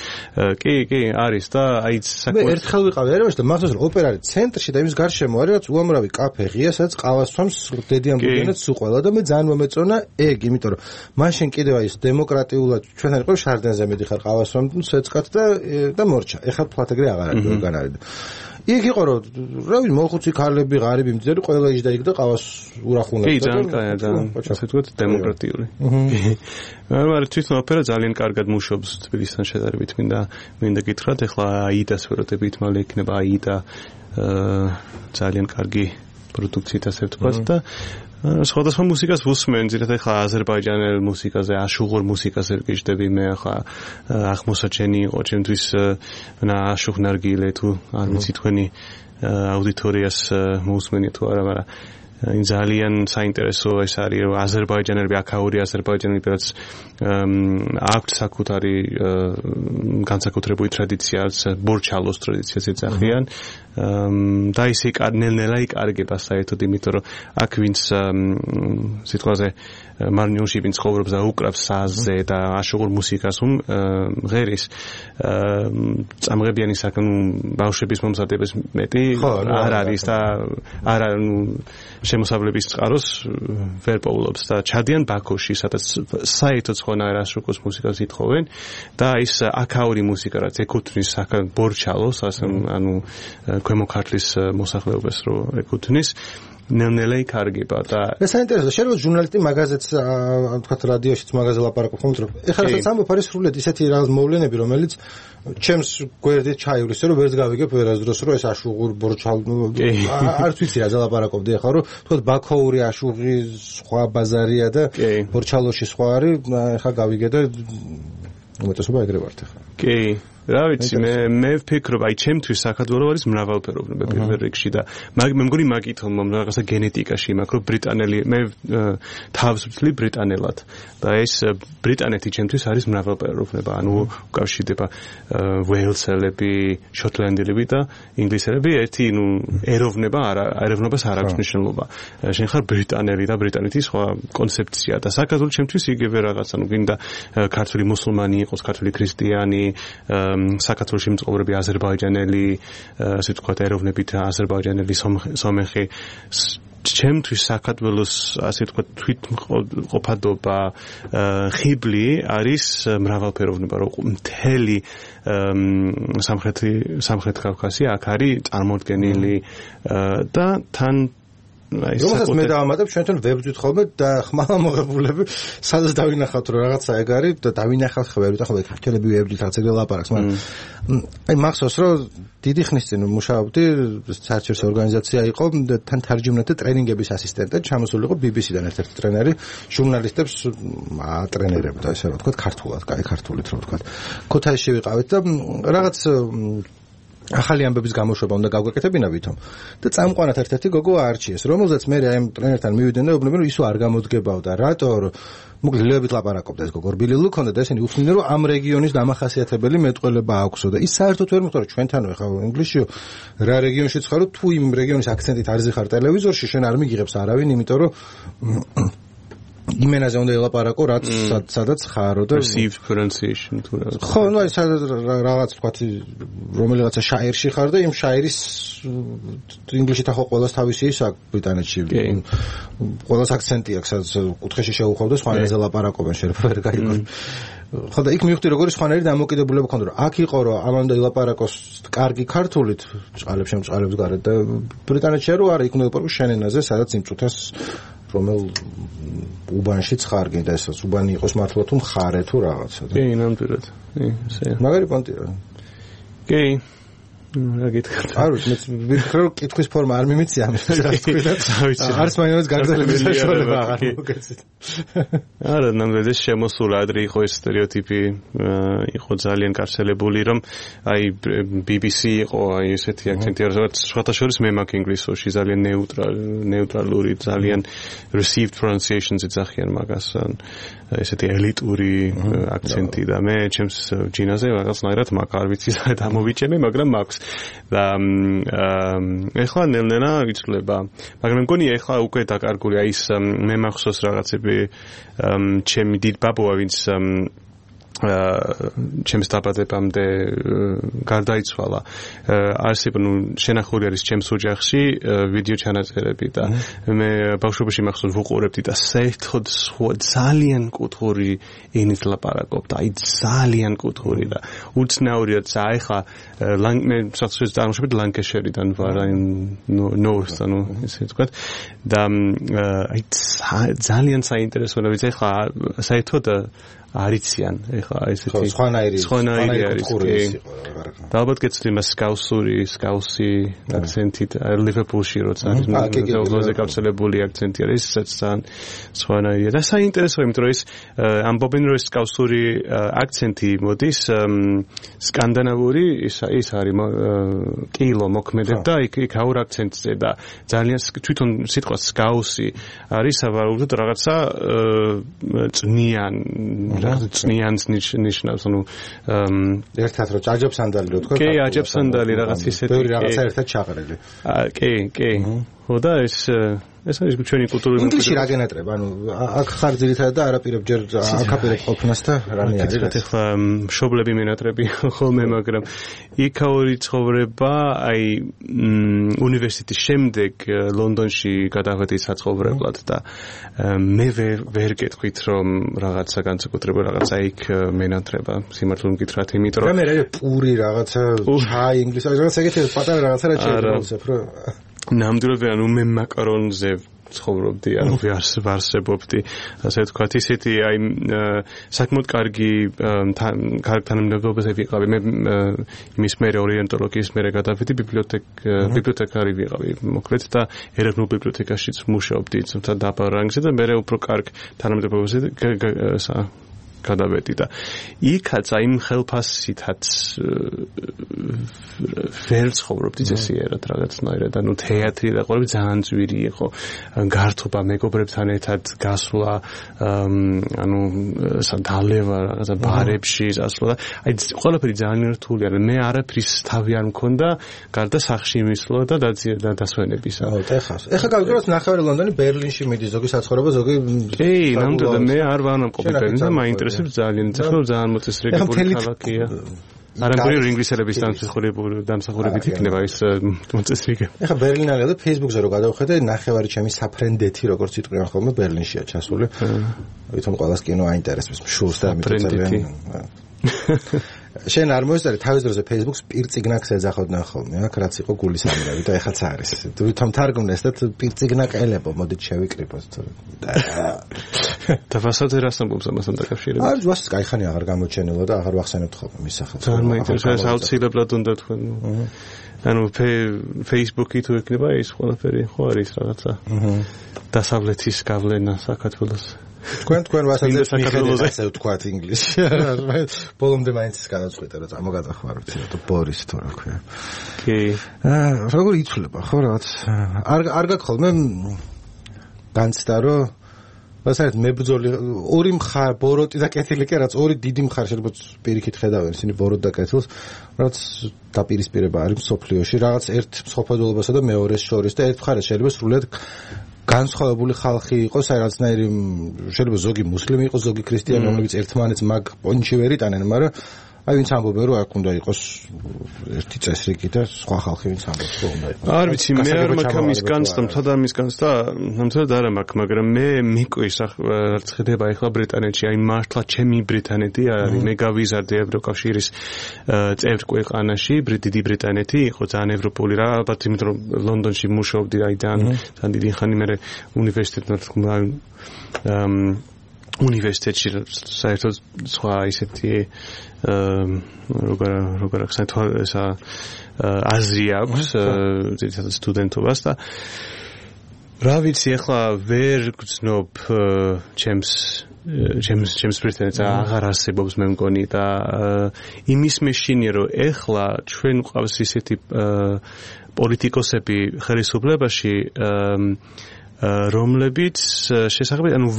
კი არის და აი მე ერთხელ ვიყავი ერევანში და მახსოვს რომ ოპერა არის ცენტრში და იმის გარშემო არის რაც უამრავი კაფე ღია სადაც ყავას თვამს დედიან ბუდიანად სუყველა და მე ძალიან მომეწონა ეგ იმიტომ რომ მაშინ კიდევ აი ეს დემოკრატიულად ჩვენთან იყო შარდენზე მედიხარ ყავას თვამ სეცკათ და მორჩა ეხლა ფლატეგრე აღარ იქ იყო რომ რავი მოხუცი ქალები ღარიბი მძერი ყველა იჯდა იქ და ყავას ურახუნებდა კი ძალიან კაია და ასე ვთქვათ დემოკრატიული მაგრამ თვითონ ოპერა ძალიან კარგად მუშაობს თბილისთან შედარებით მინდა გითხრათ ეხლა აიდას ვეროდებით მალე იქნება აიდა ძალიან კარგი პროდუქციით ასე ვთქვათ და სხვადასხვა მუსიკას ვუსმენ, ძირითადად ახლა აზერბაიჯანელ მუსიკაზე, აშუღურ მუსიკაზე გიждები მე ახლა აღმოსაჩენი იყო ჩემთვის აშუღ ნარგილე თუ არ ვიცი თქვენი აუდიტორიას მოусმენია თუ არა, მაგრამ ძალიან საინტერესო ეს არის რომ აზერბაიჯანელები აქაური აზერბაიჯანელები რაც აქვთ საკუთარი განსაკუთრებული ტრადიციაც ბორჩალოს ტრადიციას ეძახიან და ისე ნელ-ნელა იკარგება საერთოდ იმიტომ რომ აქ ვინც სიტყვაზე მარნიულში ვინც ცხოვრობს და უკრავს საზზე და აშუღურ მუსიკას ღერის წამღებიანი ბავშვების მომზადებას მეტი არ არის და არა შემოსავლების წყაროს ვერ პოულობს და ჩადიან ბაქოში სადაც საერთოდ სხვანაირ აშუღოს მუსიკას ითხოვენ და ის აქაური მუსიკა რაც ეკუთვნის ბორჩალოს ანუ ქვემო ქართლის მოსახლეობას რო ეკუთვნის ნელ-ნელა იკარგება და ეს საინტერესოა შეიძლება ჟურნალისტი მაგაზეც თქვათ რადიოშიც მაგაზე ლაპარაკობ ხომ რომ ეხლა რასაც ამბობ არის სრულიად ისეთი რაღაც მოვლენები რომელიც ჩემს გვერდით ჩაივლის რომ ვერც გავიგებ ვერასდროს რომ ეს აშუღურ ბორჩალ არც ვიცი რა ლაპარაკობდი ეხლა რომ თქვათ ბაქოური აშუღი სხვა ბაზარია და ბორჩალოში სხვა არის ეხლა გავიგე და უმეტესობა ეგრე ვართ ეხლა კი რა ვიცი მე ვფიქრობ აი ჩემთვის საქართველო არის მრავალფეროვნება პირველ რიგში და მე მგონი მაგითო რაღაცა გენეტიკაში მაქვს რომ ბრიტანელი მე თავს ვცლი ბრიტანელად და ეს ბრიტანეთი ჩემთვის არის მრავალფეროვნება ანუ უკავშირდება ველსელები შოტლანდიელები და ინგლისელები ერთი ეროვნებას არ აქვს მნიშვნელობა შენ ხარ ბრიტანელი და ბრიტანეთის სხვა კონცეფცია და საქართველო ჩემთვის იგივე რაღაც ანუ გინდა ქართული მუსულმანი იყოს ქართული ქრისტიანი საქართველოში მცხოვრები აზერბაიჯანელი, ასე ვთქვათ, ეროვნებით აზერბაიჯანელი სომეხი ჩემთვის საქართველოს ასე ვთქვათ თვითმყოფადობა ხიბლი არის მრავალფეროვნება რომ მთელი სამხრეთ კავკასია აქ არის წარმოდგენილი და თან რომელსაც მე დავამატებ ჩვენთან ვებძვით ხოლმე და ხმალა მოღებულები სადაც დავინახავთ რომ რაღაცა ეგ არის და დავინახავთ ხმები და ხოლმე ქართველები ვებძვით რაღაც ეგრე ლაპარაკს მაგრამ აი მახსოვს რომ დიდი ხნის წინ მუშაობდი საერთაშორისო ორგანიზაცია იყო და თან თარჯიმნათა ტრენინგების ასისტენტად ჩამოსული იყო BBC-დან ერთ-ერთი ტრენერი ჟურნალისტებს ატრენერებდა ესე რომ ვთქვათ ქართულად კაი ქართულით რომ ვთქვათ ქუთაისში ვიყავით და რაღაც ახალი ამბების გამოშვება უნდა გავგეკეთებინა ვითომ და წამყვანად ერთ-ერთი გოგო არჩიეს რომელზეც მე აი ამ ტრენერთან მივიდნენ და უბნებენ რომ ისო არ გამოდგებავდა რატო მოკლედ ლეობით ლაპარაკობდა ეს გოგო რბილი ლუქონდა და ესენი უთმდნენ რომ ამ რეგიონის დამახასიათებელი მეტყველება აქვსო და ის საერთოდ ვერ მოხდა რომ ჩვენთანო ეხლა ინგლისშიო რა რეგიონშიც ხარო თუ იმ რეგიონის აქცენტით არ ზიხარ ტელევიზორში შენ არ მიგიღებს არავინ იმიტომ რომ იმენაზე უნდა ელაპარაკო რაც სადაც ხარო და perceived pronunciation თუ რა ხო ნუ აი რაღაც თქვა რომელიღაცა შაირში ხარ და იმ შაირის ინგლისში თახო ყველას თავისი ის აქვს ბრიტანეთში ყველას აქცენტი აქვს სადაც კუთხეში შეუხვევ და სხვანაირზე ლაპარაკობენ შეიძლება ვერ გაიგო ხო და იქ მივხვდი როგორი სხვანაირი დამოკიდებულება ქონდა რომ აქ იყო რომ ამამდე ლაპარაკოს კარგი ქართულით წყალებს გარეთ და ბრიტანეთში რომ არა იქ უნდა ლაპარაკო შენ ენაზე სადაც იმ წუთას რომელ უბანშიც ხარ გინდა ესაც უბანი იყოს მართლა თუ მხარე თუ რაღაცა კი ნამდვილად კი ესე მაგარი პონტია კი რა გითხრათ? არ ვიცი, მე კითხვის ფორმა არ მიმიცია ამის თქვი და არც მაინც გაგზავნების საშუალება აღარ მოგეცით. არა, ნამდვილად შემოსულ ადრე იყო ეს სტერეოტიპი, იყო ძალიან გავრცელებული, რომ აი BBC იყო აი ესეთი აქცენტი, რაც სხვათა შორის მე მაქვს ინგლისურში ძალიან ნეიტრალური, ძალიან received pronunciations ეძახიან მაგას, ესეთი ელიტური აქცენტი და მე ჩემს ჯინაზე რაღაცნაირად მაგ არ ვიცი და დამოვიჭემე, მაგრამ მაქვს და ეხლა ნელ-ნელა იცვლება. მაგრამ მგონი ეხლა უკვე დაკარგული აი ის მე მახსოვს რაღაცები ჩემი დიდ ბაბუა ვინც ჩემს დაბადებამდე გარდაიცვალა. არსებობ შენახული არის ჩემს ოჯახში ვიდეო ჩანაწერები და მე ბავშვობაში მახსოვს ვუყურებდი და საერთოდ ძალიან კუთხური ენით ლაპარაკობდა. აი ძალიან კუთხური და უცნაურია და ეხლა მე საერთოდ წარმოშობით ლანკეშერიდან ვარ, აი ნორთ, ანუ ესე ვთქვათ და აი ძალიან საინტერესოა ვიცი ეხლა საერთოდ არიციან ეხლა ესეთი სხვანაირი არის და ალბათ გეცდი მას სკაუსი აქცენტით ლივერპულში როცა არის მეზობლოზე გავრცელებული აქცენტი არის ძალიან სხვანაირია და საინტერესოა იმიტომ რომ ის ამბობენ რომ სკაუსური აქცენტი მოდის სკანდინავური ის არის კილო მოქმედებდა იქ აურ აქცენტზე და ძალიან თვითონ სიტყვა სკაუსი არის სავარაუდოდ რაღაცა წნიან წნიანს ნიშნავს, ანუ ერთად რო აჯობსანდალი რო თქვა. კი, აჯობსანდალი რაღაც ისეთი. ბევრი რაღაცა ერთად ჩაყრილი. კი. ხოდა ეს არის ჩვენი კულტურული ინგლისში რა გენატრება? ანუ აქ ხარ ძირითადად და არაპირებ ჯერ აკაპირებ ყოფნას და რამე არის. ეხლა მშობლები მენატრები ხოლმე, მაგრამ იქაური ცხოვრება, აი უნივერსიტეტის შემდეგ ლონდონში გადავედი საცხოვრებლად და მე ვერ გეტყვით რომ რაღაცა განსაკუთრებულ რაღაცა იქ მენატრება. სიმართლე მკითხრათ, იმიტომ რომ რამე პური რაღაცა ჩაი ინგლისური რაღაცა ეგეთი პატარა რაღაცა რა შეიძლება რო ნამდვილად ანუ მე მაკარონზე ცხოვრობდი, ანუ ვარსებობდი, ასე ვთქვათ, ისეთი აი საკმაოდ კარგი თანამდებობაზე ვიყავი. მე იმის მერე ორიენტოლოგიის მერე გადავედი ბიბლიოთეკარი ვიყავი, მოკლედ და ეროვნულ ბიბლიოთეკაშიც მუშაობდი, თუმცა დაბა რანგზე და მერე უფრო კარგ თანამდებობაზე გადავედი და იქაც აი იმ ხელფასითაც ვერ ცხოვრობდი წესიერად რაღაცნაირად, ანუ თეატრი და ყველაფერი ძალიან ძვირი იყო, გართობა მეგობრებთან ერთად გასვლა, ანუ დალევა რაღაცა ბარებში გასვლა და აი ყველაფერი ძალიან რთულია. მე არაფრის თავი არ მქონდა, გარდა სახლში მისვლა და დასვენებისა. ეხლა გავიგოთ ნახევარი ლონდონი ბერლინში მიდის, ზოგი საცხოვრება, ზოგი კი, ნამდვილად მე არ ვანამყოფი ბერლინში და მაინტერესებს ძალიან მოწესრიგებული ქალაქია. არამედ ინგლისელების დამსახურებით იქნება ის მოწესრიგება. ეხლა ბერლინალია და Facebook-ზე რო გადავხედე, ნახევარი ჩემი საფრენდეთი როგორც იტყვიან ხოლმე ბერლინშია ჩასული. ვითომ ყველას კინო აინტერესებს შულს და ამიტომ ძალიან შენ არ მოესწარი თავის დროზე Facebook-ს პირწიგნაკს ეძახოდნენ ხოლმე, აქ რაც იყო გულის ამირავი და ეხაც არის. ვითომ თარგმნეს და პირწიგნაკელებო, მოდით შევიკრიბოთ. და ვასაძე რას ამბობს ამასთან დაკავშირებით? არ ვასც кайხანი აღარ გამოჩენილა და აღარ ვახსენებთ ხოლმე მის სახელს. ძალიან მაინტერესებს აუცილებლად უნდა თქვენ. ანუ Facebook-ი თუ ექნება ის ყველაფერი ხო არის რაღაცა. დასავლეთის გავლენა საქართველოს. თქვენ ვასაძე მიხედავთ ასე ვთქვათ ინგლისში. ბოლომდე მაინც ის გადაწყვეტა რომ წამოგადახმარო ცოტა ბორის თუ რა ქვია. კი. როგორ იცვლება ხო რაღაც არ გაქვს ხოლმე განცდა რომ ვასაერთ მებრძოლი ორი მხარ ბოროტი და კეთილი კი რაც ორი დიდი მხარ შეიძლება პირიქით ხედავენ ისინი ბოროტ და კეთილს რაც დაპირისპირება არის სოფლიოში რაღაც ერთ მსოფლმხედველობასა და მეორეს შორის და ერთ მხარეს შეიძლება სრულად განსხვავებული ხალხი იყოს აი რაღაცნაირი შეიძლება ზოგი მუსლიმი იყოს ზოგი ქრისტიანი რომლებიც ერთმანეთს მაგ პონჩი ვერ იტანენ მაგრამ აი ვინც ამბობენ რომ აქ უნდა იყოს ერთი წესრიგი და სხვა ხალხი ვინც ამბობს რომ უნდა იყოს არ ვიცი მე არ მაქვს ამის განცდა მთლად ამის განცდა ნამდვილად არ მაქვს მაგრამ მე მიკვრის რაც ხდება ახლა ბრიტანეთში აი მართლა ჩემი ბრიტანეთი არის მე გავიზარდე ევროკავშირის წევრ ქვეყანაში დიდი ბრიტანეთი იყო ძალიან ევროპული რა ალბათ იმიტომ რომ ლონდონში მუშაობდი აი ძალიან დიდი ხანი მე უნივერსიტეტში უნივერსიტეტში საერთოდ სხვა ისეთი როგორ ახსენოთ ესა აზრი აქვს ძირითადად სტუდენტობას და რა ვიცი ახლა ვერ გძნობ ჩემს პრეტენზიას აღარ არსებობს მე მგონი და იმის მეშინია რომ ეხლა ჩვენ გვყავს ისეთი პოლიტიკოსები ხელისუფლებაში რომლებიც შესაძლებელი ანუ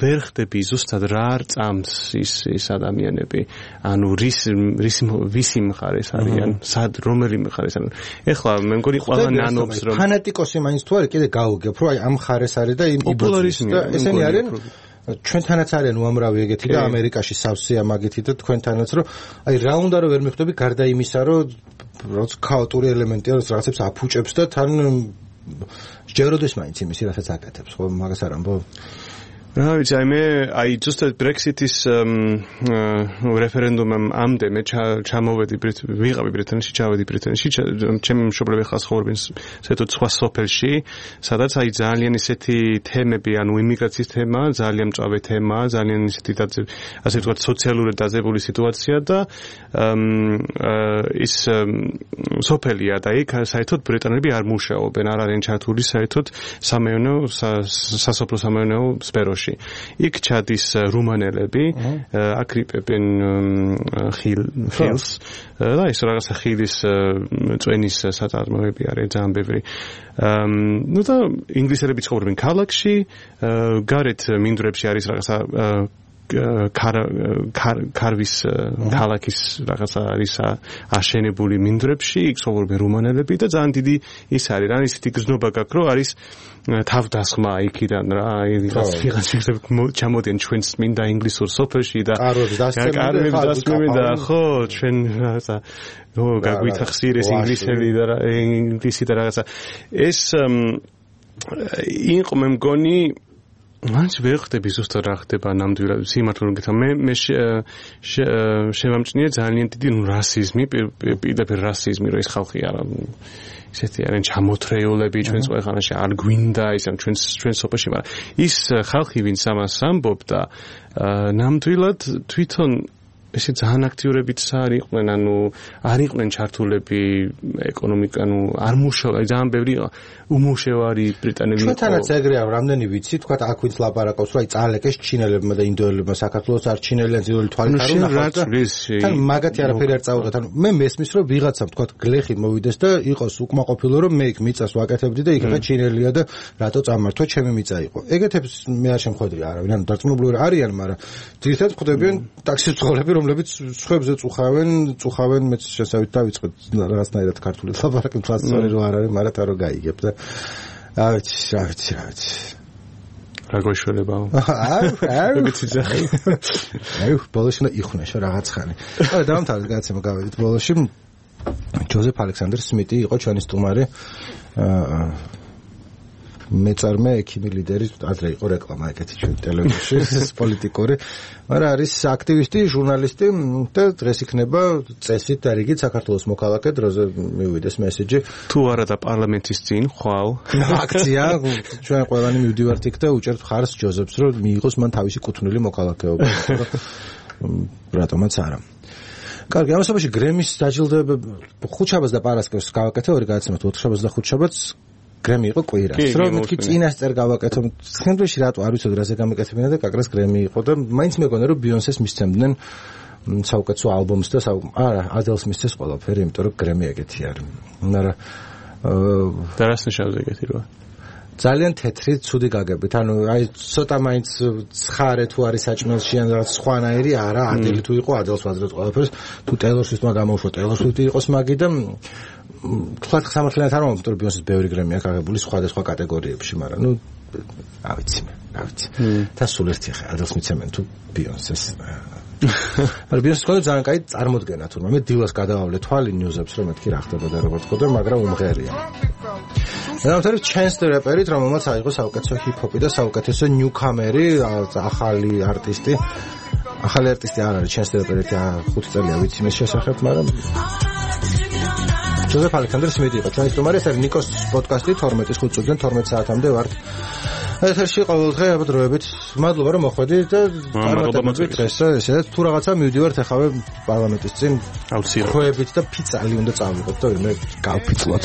ვერ ხდები ზუსტად რა წამს ის ადამიანები ანუ ვისი მხარეს არიან სად რომელი მხარეს არიან ეხლა მე მგონი ყველა ნანობს რომ ფანატიკოსი მაინც თუ არის კიდე გაუგებ რომ აი ამ მხარეს არის და იმ პოპულარიზმი ესენი არიან ჩვენთანაც არიან უამრავი ეგეთი და ამერიკაში სავსეა მაგეთი და თქვენთანაც რომ აი რა უნდა რომ ვერ მიხვდები გარდა იმისა რომ რაც ქაოტური ელემენტია რაც რაღაცებს აფუჭებს და თან ჯეროდეს მაინც იმისი რასაც აკეთებს ხო მაგას არ ამბობ რა ვიცი მე ზუსტად Brexit-ის რეფერენდუმამ ამდე მე ჩამოვედი ვიყავი ბრიტანეთში ჩავედი ბრიტანეთში ჩემი მშობლები ხალხს ხოვებენ საერთოდ სხვა სოფელში სადაც ძალიან ისეთი თემები ანუ იმიგრაციის თემა ძალიან მწვავე თემა ძალიან ისეთი ასე ვთქვათ სოციალურად დაძაბული სიტუაცია და ის სოფელია და იქ საერთოდ ბრიტანელები არ მუშაობენ არ არიან ჩართული საერთოდ სამეურნეო სასოფლო სამეურნეო სფეროში იქ ჩადის რუმანელები აკრიპებენ ხილს და ის რაღაცა ხილის წვენის საწარმოები არის ძალიან ბევრი ну და ინგლისელები ცხოვრობენ ქალაქში გარეთ მინდვრებში არის რაღაცა კარვის ქალაქის რაღაცა არის აშენებული მინდვრებში იქ ცხოვრობენ რუმანელები და ძალიან დიდი ის არის რა ისეთი გზნობა გაქვს რომ არის თავდასხმა იქიდან რა ვიღაცები ჩამოდიან ჩვენს მინდა ინგლისურ სოფელში და კარვებს დასწრებენ და ხო ჩვენ რაღაცა გაგვითა ხსირეს ინგლისი და რაღაცა ეს იყო მე მგონი მანც ვერ ხდები ზუსტად რა ხდება ნამდვილად სიმართლე გითხრა მე შემამჭნია ძალიან დიდი რასიზმი პირდაპირ რასიზმი რომ ეს ხალხი არა ისეთი არიან ჩამოთრეულები ჩვენს ქვეყანაში არ გვინდა ის ამ ჩვენს სოფელში მაგრამ ის ხალხი ვინც ამას ამბობდა ნამდვილად თვითონ ესე ძალიან აქტიურებიც არ იყვნენ ანუ არ იყვნენ ჩართულები ეკონომიკა ანუ არ მუშაობენ ძალიან ბევრი უმუშევარი ბრიტანელი იყო ჩვენთანაც ეგრეა რამდენი ვიცი თქვა აქ ვინც ლაპარაკობს რომ აი წალეკეს ჩინელებმა და ინდოელებმა საქართველოს არ ჩინელიან ძირული თვალით არ უნახავთ თან მაგათი არაფერი არ წავუდგათ ანუ მე მესმის რომ ვიღაცამ თქვა გლეხი მოვიდეს და იყოს უკმაყოფილო რომ მე იქ მიწას ვაკეთებდი და იქ ჩინელია და რატო წამართვა ჩემი მიწა იყო ეგეთებს მე არ შემხვედრი არავინ ანუ დარწმუნებული არიან მაგრამ ძირითადად ხვდებიან ტაქსის მცხოვრები რომლებიც სხვებზე წუხავენ მეც შესავით დავიწყე რაღაცნაირად ქართული ლაპარაკი მთლიანად რო არ არის მაგრამ თა რო გაიგებ და რა ვიცი რა გოშველებაო აი ბოლოში იხვნაშო რაღაც ხანი არა დამთავრდა გაცემა გავედით ბოლოში ჯოზეფ ალექსანდრ სმიტი იყო ჩვენი სტუმარი მეწარმე ექიმი ლიდერი ადრე იყო რეკლამა ეგეთი ჩვენ ტელევიზიაში პოლიტიკური მაგრამ არის აქტივისტი ჟურნალისტი და დღეს იქნება წესით და რიგით საქართველოს მოქალაქე დროზე მივიდეს მესეჯი თუ არა და პარლამენტის წინ ხვალ აქცია ჩვენ ყველანი მივდივართ იქ და უჭერთ ხარს ჯოზეფს რომ მიიღოს მან თავისი კუთვნილი მოქალაქეობა რატომაც არა კარგი ამასობაში გრემის დაჯილდოება ხუთშაბათს და პარასკევს გავაკეთე ორი გადაცემა ოთხშაბათს და ხუთშაბათს გრემი იყო კვირას რომ მეთქი წინასწარ გავაკეთო სცენაში რატო არ ვიცოდი რაზე გამეკეთებინა და კაკრას გრემი იყო და მაინც მეგონა რომ ბიონსეს მისცემდნენ საუკეთესო ალბომს და არა ადელს მისცეს ყველაფერი იმიტომ რომ გრემი ეგეთი არის მაგრამ და რას ნიშნავს ეგეთი როა ძალიან თეთრი ცუდი გაგებით ანუ აი ცოტა მაინც ცხარე თუ არის საჭმელში ან რაღაც სხვანაირი არა ადელი თუ იყო ადელს ვაძლევთ ყველაფერს თუ ტეილორ სვიფტმა გამოუშვა ტეილორ სვიფტი იყოს მაგი და თქვა სამართლიანად არ მომწონს რომ ბიონსეს ბევრი გრემია გაგებული სხვადასხვა კატეგორიებში მაგრამ ნუ რა ვიცი და სულ ერთი ხე ადელს მიცემენ თუ ბიონსეს მაგრამ ბიონსეს ყოლა ძალიან კაი წარმოდგენა თურმე მე დილას გადავავლე თვალი ნიუზებს რომ მეთქი რა ხდება და როგორც ყოდა მაგრამ უმღერია ნამდვილად ჩენს რეპერით რომელმაც აიღო საუკეთესო ჰიპ-ჰოპი და საუკეთესო ნიუკამერი ახალი არტისტი არ არის ჩენს რეპერით 5 წელია ვიცი მე შესახებ მაგრამ ჯოზეფ ალექსანდრ სმიტი იყო ჩვენი სტუმარი ეს არის ნიკოს პოდკასტი 12-ის 5 წუთიდან 12 საათამდე ვართ ეთერში ყოველდღე აბა დროებით. მადლობა რომ მოხვედი და დღეს ესეც თუ რაღაცა მივდივართ ახავე პარლამენტის წინ აუცილებლად ხოებით და ფიცალი უნდა წავიღოთ და მე გავფიცლოთ.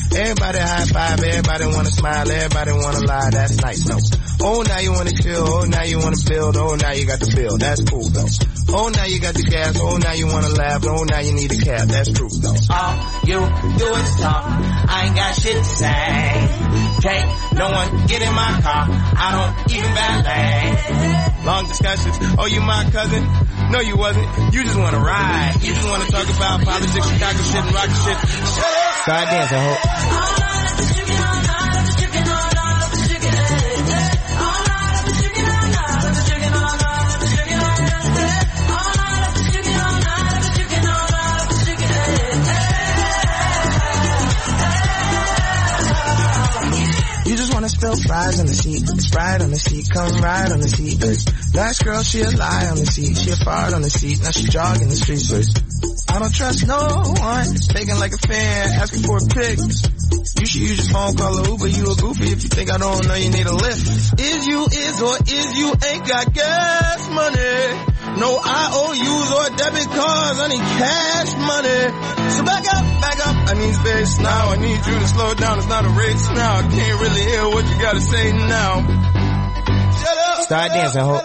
Everybody high five, everybody wanna smile, everybody wanna lie, that's nice, no. Oh, now you wanna chill, oh, now you wanna build, oh, now you got the bill, that's cool, though. Oh, now you got the gas, oh, now you wanna laugh, oh, now you need a cab, that's true, though. All you do is talk, I ain't got shit to say. Can't no one get in my car, I don't even valet. Long discussions, oh, you my cousin? No, you wasn't, you just wanna ride, you just wanna talk about politics, Chicago shit, and rock shit. Start dancing, ho. You just wanna spill fries on the seat, Sprite on the seat, come ride on the seat. Last girl, she a lie on the seat, she a fart on the seat, now she jogging the streets. I don't trust no one, taking like a fan, asking for a pic. You should use your phone, call a Uber, you a goofy if you think I don't know you need a lift. Is you ain't got gas money. No IOUs or debit cards, I need cash money. So back up, I need space now. I need you to slow down, it's not a race now. I can't really hear what you gotta say now. Shut up. Start dancing, ho.